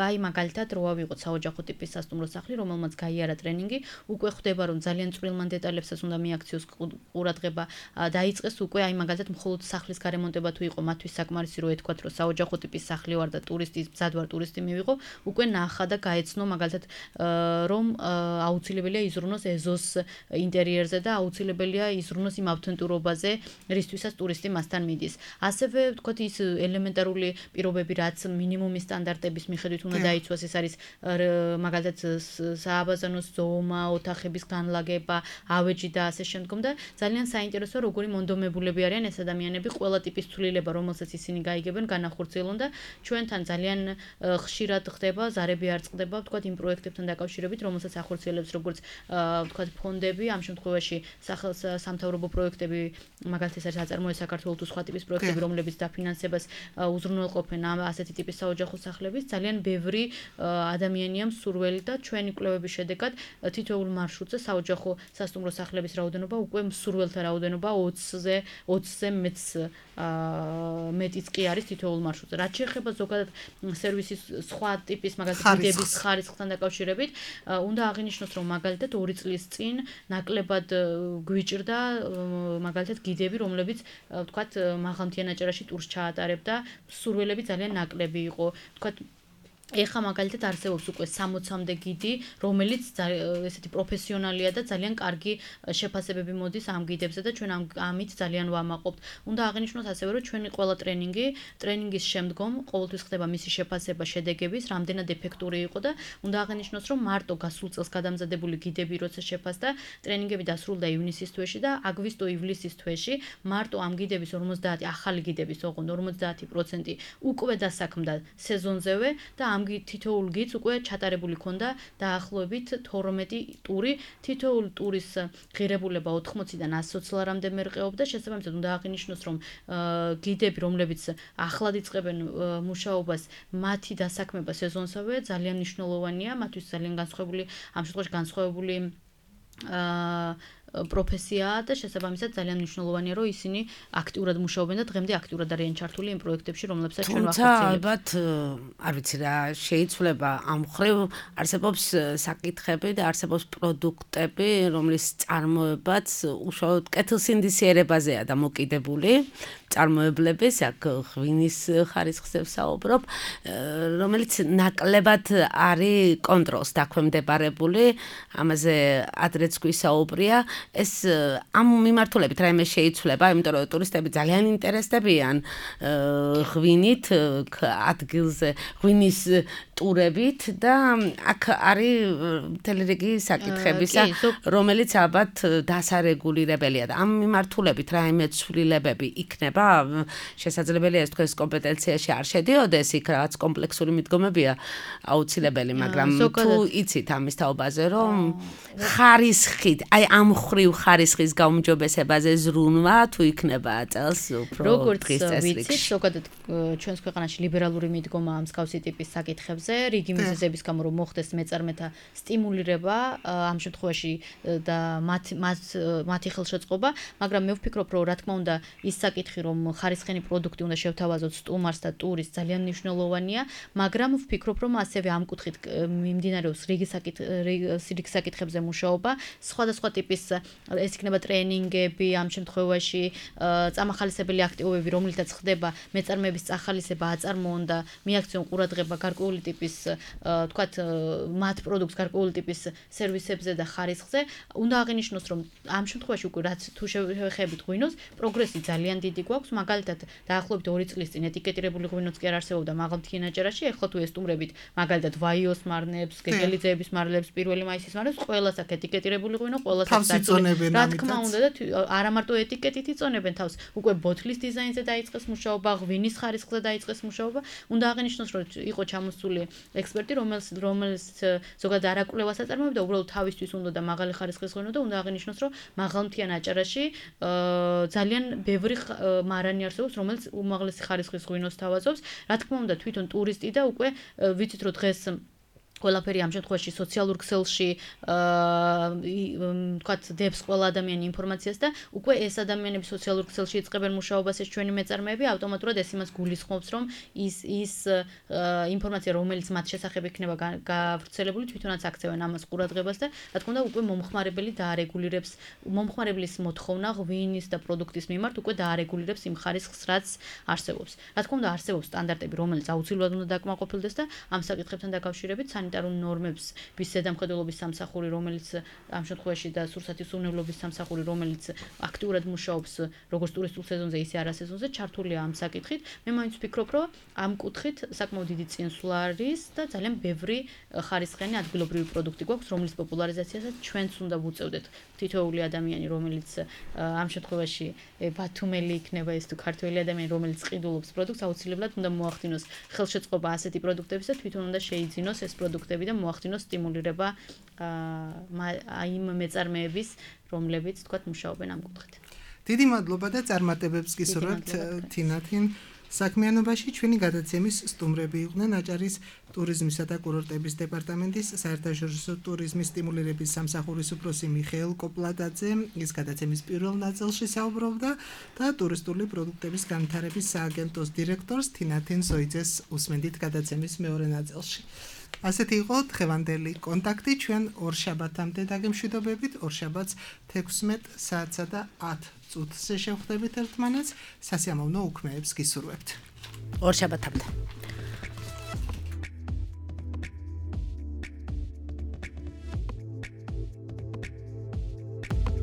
აი მაგალითად რო ავიღოთ საოჯახო ტიპის სასტუმრო სახლი, რომელმაც გაიარა ტრენინგი, უკვე ხდება, რომ ძალიან წვრილმან დეტალებსაც უნდა მიაქციოს ყურადღება, დაიწყეს უკვე აი მაგალითად მხოლოდ სახლის გარემონტება თუ იყო მათთვის საკმარისი რო ეთქვათ, რომ საოჯახო ტიპის სახლი ვარ და მზად ვარ ტურისტი მივიღო, უკვე ნახა და გაეცნო მაგალითად რომ აუცილებელია იზრუნოს ეზოს ინტერიერზე და აუცილებელია იზრუნოს იმ ავთენტურობაზე, რისთვისაც ტურისტი მასთან მიდის. ასევე ვთქვათ ის ელემენტარული პირობები, რაც მინიმუმის სტანდარტების მიხედვით უნდა დაიცვას, ეს არის მაგალითად სააბაზანოს ზომა, ოთახების განლაგება, ავეჯი და ასე შემდგომ და ძალიან საინტერესოა როგორი მონდომებულები არიან ეს ადამიანები, ყველა ტიპის ცვლილება, რომელსაც ისინი გაიგებენ, განახორციელონ და ჩვენთან ძალიან ხშირად ხდება, ზარები არ წყდება, ვთქვათ იმ პროექტებთან დაკავშირებით, რომელსაც ახორციელებს როგორც ვთქვათ ფონდები, ამ შემთხვევაში სახელმწიფო პროექტები, მაგალითად ეს არის ტიპის აწარმოება საქართველოს თუ სხვა ტიპის პროექტები, რომლებიც დაფინანსებას უზრუნველყოფენ ასეთი ტიპის საოჯახო სახლების, ძალიან ბევრი ადამიანია მსურველი და ჩვენი კვლევების შედეგად თითოეულ მარშრუტზე საოჯახო სასტუმრო სახლების რაოდენობა უკვე მსურველთა რაოდენობა 20-ზე მეტიც კი არის თითოეულ მარშრუტზე. რაც შეეხება ზოგადად სერვისის სხვა ტიპის მაგალითად გიდების ხარისხთან დაკავშირებით, უნდა აღინიშნოს, რომ მაგალითად 2 წლის წინ ნაკლებად გვიჭრდა მაგალითად გიდები, რომლებიც ვთქვათ მაღალმთიან აჭარაში ტურს ჩაატარებდა, მსურველები ძალიან ნაკლები იყო, ვთქვათ ეხა მაგალითად არსებობს უკვე 60-მდე გიდი, რომელიც ესეთი პროფესიონალია და ძალიან კარგი შეფასებები მოდის ამ გიდებზე და ჩვენ ამით ძალიან ვამაყობთ. უნდა აღინიშნოს ასევე, რომ ჩვენი ყველა ტრენინგის შემდგომ ყოველთვის ხდება მისი შეფასება შედეგების, რამდენად ეფექტური იყო და უნდა აღინიშნოს, რომ მარტო გასულ წელს გადამზადებული გიდები როცა შეფასდა, ტრენინგები დასრულდა ივნისის თვეში და აგვისტო-ივლისის თვეში მარტო ამ გიდების 50 ახალი გიდების ოღონდ 50% უკვე დასაქმდა სეზონზევე და ამ თითოეულ გიდს უკვე ჩატარებული ქონდა დაახლოებით 12 ტური, თითოეულ ტურის ღირებულება 80-დან 100 ლარამდე მერყეობდა. შესაბამისად უნდა აღინიშნოს, რომ გიდები, რომლებიც ახლად იწყებენ მუშაობას, მათი დასაქმება სეზონსავე ძალიან მნიშვნელოვანია, მათთვის ძალიან განსხვავებული, ამ შემთხვევაში განსხვავებული პროფესიაა და შესაბამისად ძალიან მნიშვნელოვანია, რომ ისინი აქტიურად მუშაობენ და დღემდე აქტიურად არიან ჩართული იმ პროექტებში, რომლებსაც ჩვენ ვახორციელებთ. ალბათ, არ ვიცი რა, შეიცვლება ამ ხრივ არსებობს საკითხები და არსებობს პროდუქტები, რომლის წარმოებაც უშუალოდ კეთილსინდისიერებაზეა დამოკიდებული. წარმოებლების, აქ ღვინის ხარისხზე ვსაუბრობ, რომელიც ნაკლებად არის კონტროლს დაქვემდებარებული, ამაზე ადრეც გვისაუბრია. ეს ამ მიმართულებით რაიმე შეიცვლება, იმიტომ რომ ტურისტები ძალიან ინტერესდებიან ღვინით, ადგილზე ღვინის ტურებით და აქ არის მთელი რიგი საკითხებისა, რომელიც ალბათ დასარეგულირებელია და ამ მიმართულებით რაიმე ცვლილებები იქნება, შესაძლებელია ეს თქვენს კომპეტენციაში არ შედიოდეს, იქ რაღაც კომპლექსური მიდგომებია აუცილებელი, მაგრამ თუ იცით ამის თაობაზე, რომ ხარისხით, აი ამ ხრივ ხარისხის გაუმჯობესებაზე ზრუნვა თუ იქნება წელს უფრო დღის წესრიგში. როგორც ვიცით, ზოგადად ჩვენს ქვეყანაში ლიბერალური მიდგომა ამ მსგავსი ტიპის საკითხებზე, რიგი მიზეზების გამო რომ მოხდეს მეწარმეთა სტიმულირება ამ შემთხვევაში და მათი ხელშეწყობა, მაგრამ მე ვფიქრობ, რომ რა თქმა უნდა ის საკითხი, რომ ხარისხენი პროდუქტი უნდა შევთავაზოთ სტუმარს და ტურისტს ძალიან მნიშვნელოვანია, მაგრამ ვფიქრობ, რომ ასევე ამ კუთხით მიმდინარეობს რიგი საკითხებზე მუშაობა, სხვადასხვა ტიპის ეს იქნება ტრენინგები, ამ შემთხვევაში წამახალისებელი აქტივობები, რომლითაც ხდება მეწარმეების წახალისება, აწარმოონ და მიაქციონ ყურადღება გარკვეული ტიპის, თქვათ, მათ პროდუქტს გარკვეული ტიპის სერვისებზე და ხარისხზე. უნდა აღინიშნოს, რომ ამ შემთხვევაში უკვე რაც თუ შევეხებით ღვინოს, პროგრესი ძალიან დიდი გვაქვს, მაგალითად, დაახლოებით 2 წლის წინ ეტიკეტირებული ღვინოც კი არ არსებობდა მაღალმთიან აჭარაში, ახლა თუ ესტუმრებით, მაგალითად, ვაიოს მარნებს, გეგელიძეების მარლებს, 1 მაისის მარლებს, ყველას აქ ეტიკეტირებული ღვინო, ყველას აქ იწონებენ რა თქმა უნდა და არა მარტო ეტიკეტით იწონებენ თავს, უკვე ბოთლის დიზაინზე დაიწყეს მუშაობა, ღვინის ხარისხზე დაიწყეს მუშაობა. უნდა აღინიშნოს, რომ იყო ჩამოსული ექსპერტი, რომელიც ზოგადად არაკვლევას აწარმოებდა, უბრალოდ თავისთვის უნდა და მაღალი ხარისხის ღვინო და უნდა აღინიშნოს, რომ მაღალმთიან აჭარაში ძალიან ბევრი მარანი არსებობს, რომელიც უმაღლესი ხარისხის ღვინოს თავაზობს. რა თქმა უნდა, თვითონ ტურისტი და უკვე ვიცით, რომ დღეს ყველაფერი ამ შემთხვევაში სოციალურ ქსელში თქვათ დებს ყველა ადამიანი ინფორმაციას და უკვე ეს ადამიანები სოციალურ ქსელში იწყებენ მუშაობას ეს ჩვენი მეწარმეები ავტომატურად ეს იმას გულისხმობს რომ ის ინფორმაცია რომელიც მათ შესახებ იქნება გავრცელებული თვითონაც აქცევენ ამას ყურადღებას და რა თქმა უნდა უკვე მომხმარებლის მოთხოვნა ღვინის და პროდუქტის მიმართ უკვე დაარეგულირებს იმ ხარისხს რაც არსებობს. რა თქმა უნდა არსებობს სტანდარტები რომელიც აუცილებლად უნდა დაკმაყოფილდეს და ამ საკითხებთან დაკავშირებით სანიტარულ ნორმებს ვის ზედამხედველობის სამსახური რომელიც ამ შემთხვევაში და სურსათის უვნებლობის სამსახური რომელიც აქტიურად მუშაობს როგორც ტურისტულ სეზონზე ისე არასეზონზე ჩართულია ამ საკითხით. მე მაინც ვფიქრობ რომ ამ კუთხით საკმაოდ დიდი წინსვლა არის და ძალიან ბევრი ხარისხიანი ადგილობრივი პროდუქტი გვაქვს რომლის პოპულარიზაციასაც ჩვენც უნდა ვუწევდეთ თითოეული ადამიანი რომელიც ამ შემთხვევაში ბათუმელი იქნება ეს თუ ქართველი ადამიანი რომელიც ყიდულობს პროდუქტს აუცილებლად უნდა მოახდინოს ხელშეწყობა ასეთი პროდუქტების და თვითონ უნდა შეიძინოს ეს პროდუქტები და მოახდინოს სტიმულირება იმ მეწარმეების რომლებიც თქვათ მუშაობენ ამ კუთხით. დიდი მადლობა და წარმატებებს გისურვებთ თინათინ საქმიანობაში. ჩვენი გადაცემის სტუმრები იყვნენ აჭარის ტურიზმისა და კურორტების დეპარტამენტის საერთაშორისო ტურიზმის სტიმულირების სამსახურის უფროსი მიხეილ კოპლატაძე, ის გადაცემის პირველ ნაწილში საუბრობდა და ტურისტული პროდუქტების განვითარების სააგენტოს დირექტორს თინათინ ზოიძეს უსმენდით გადაცემის მეორე ნაწილში. ასეთი იყო დღევანდელი კონტაქტი. ჩვენ ორშაბათამდე დაგემშვიდობებით. ორშაბათს 16 საათსა და 10 წუთზე შევხვდებით ერთმანეთს. სასიამოვნო უქმეებს გისურვებთ. ორშაბათამდე.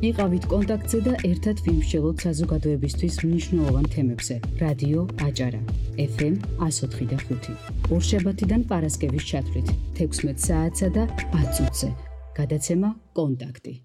იყავით კონტაქტზე და ერთად ვიმსჯელოთ საზოგადოებისთვის მნიშვნელოვან თემებზე. რადიო აჭარა FM 104.5. ორშაბათიდან პარასკევის ჩათვლით 16 საათსა და 10 წუთზე. გადაცემა კონტაქტი.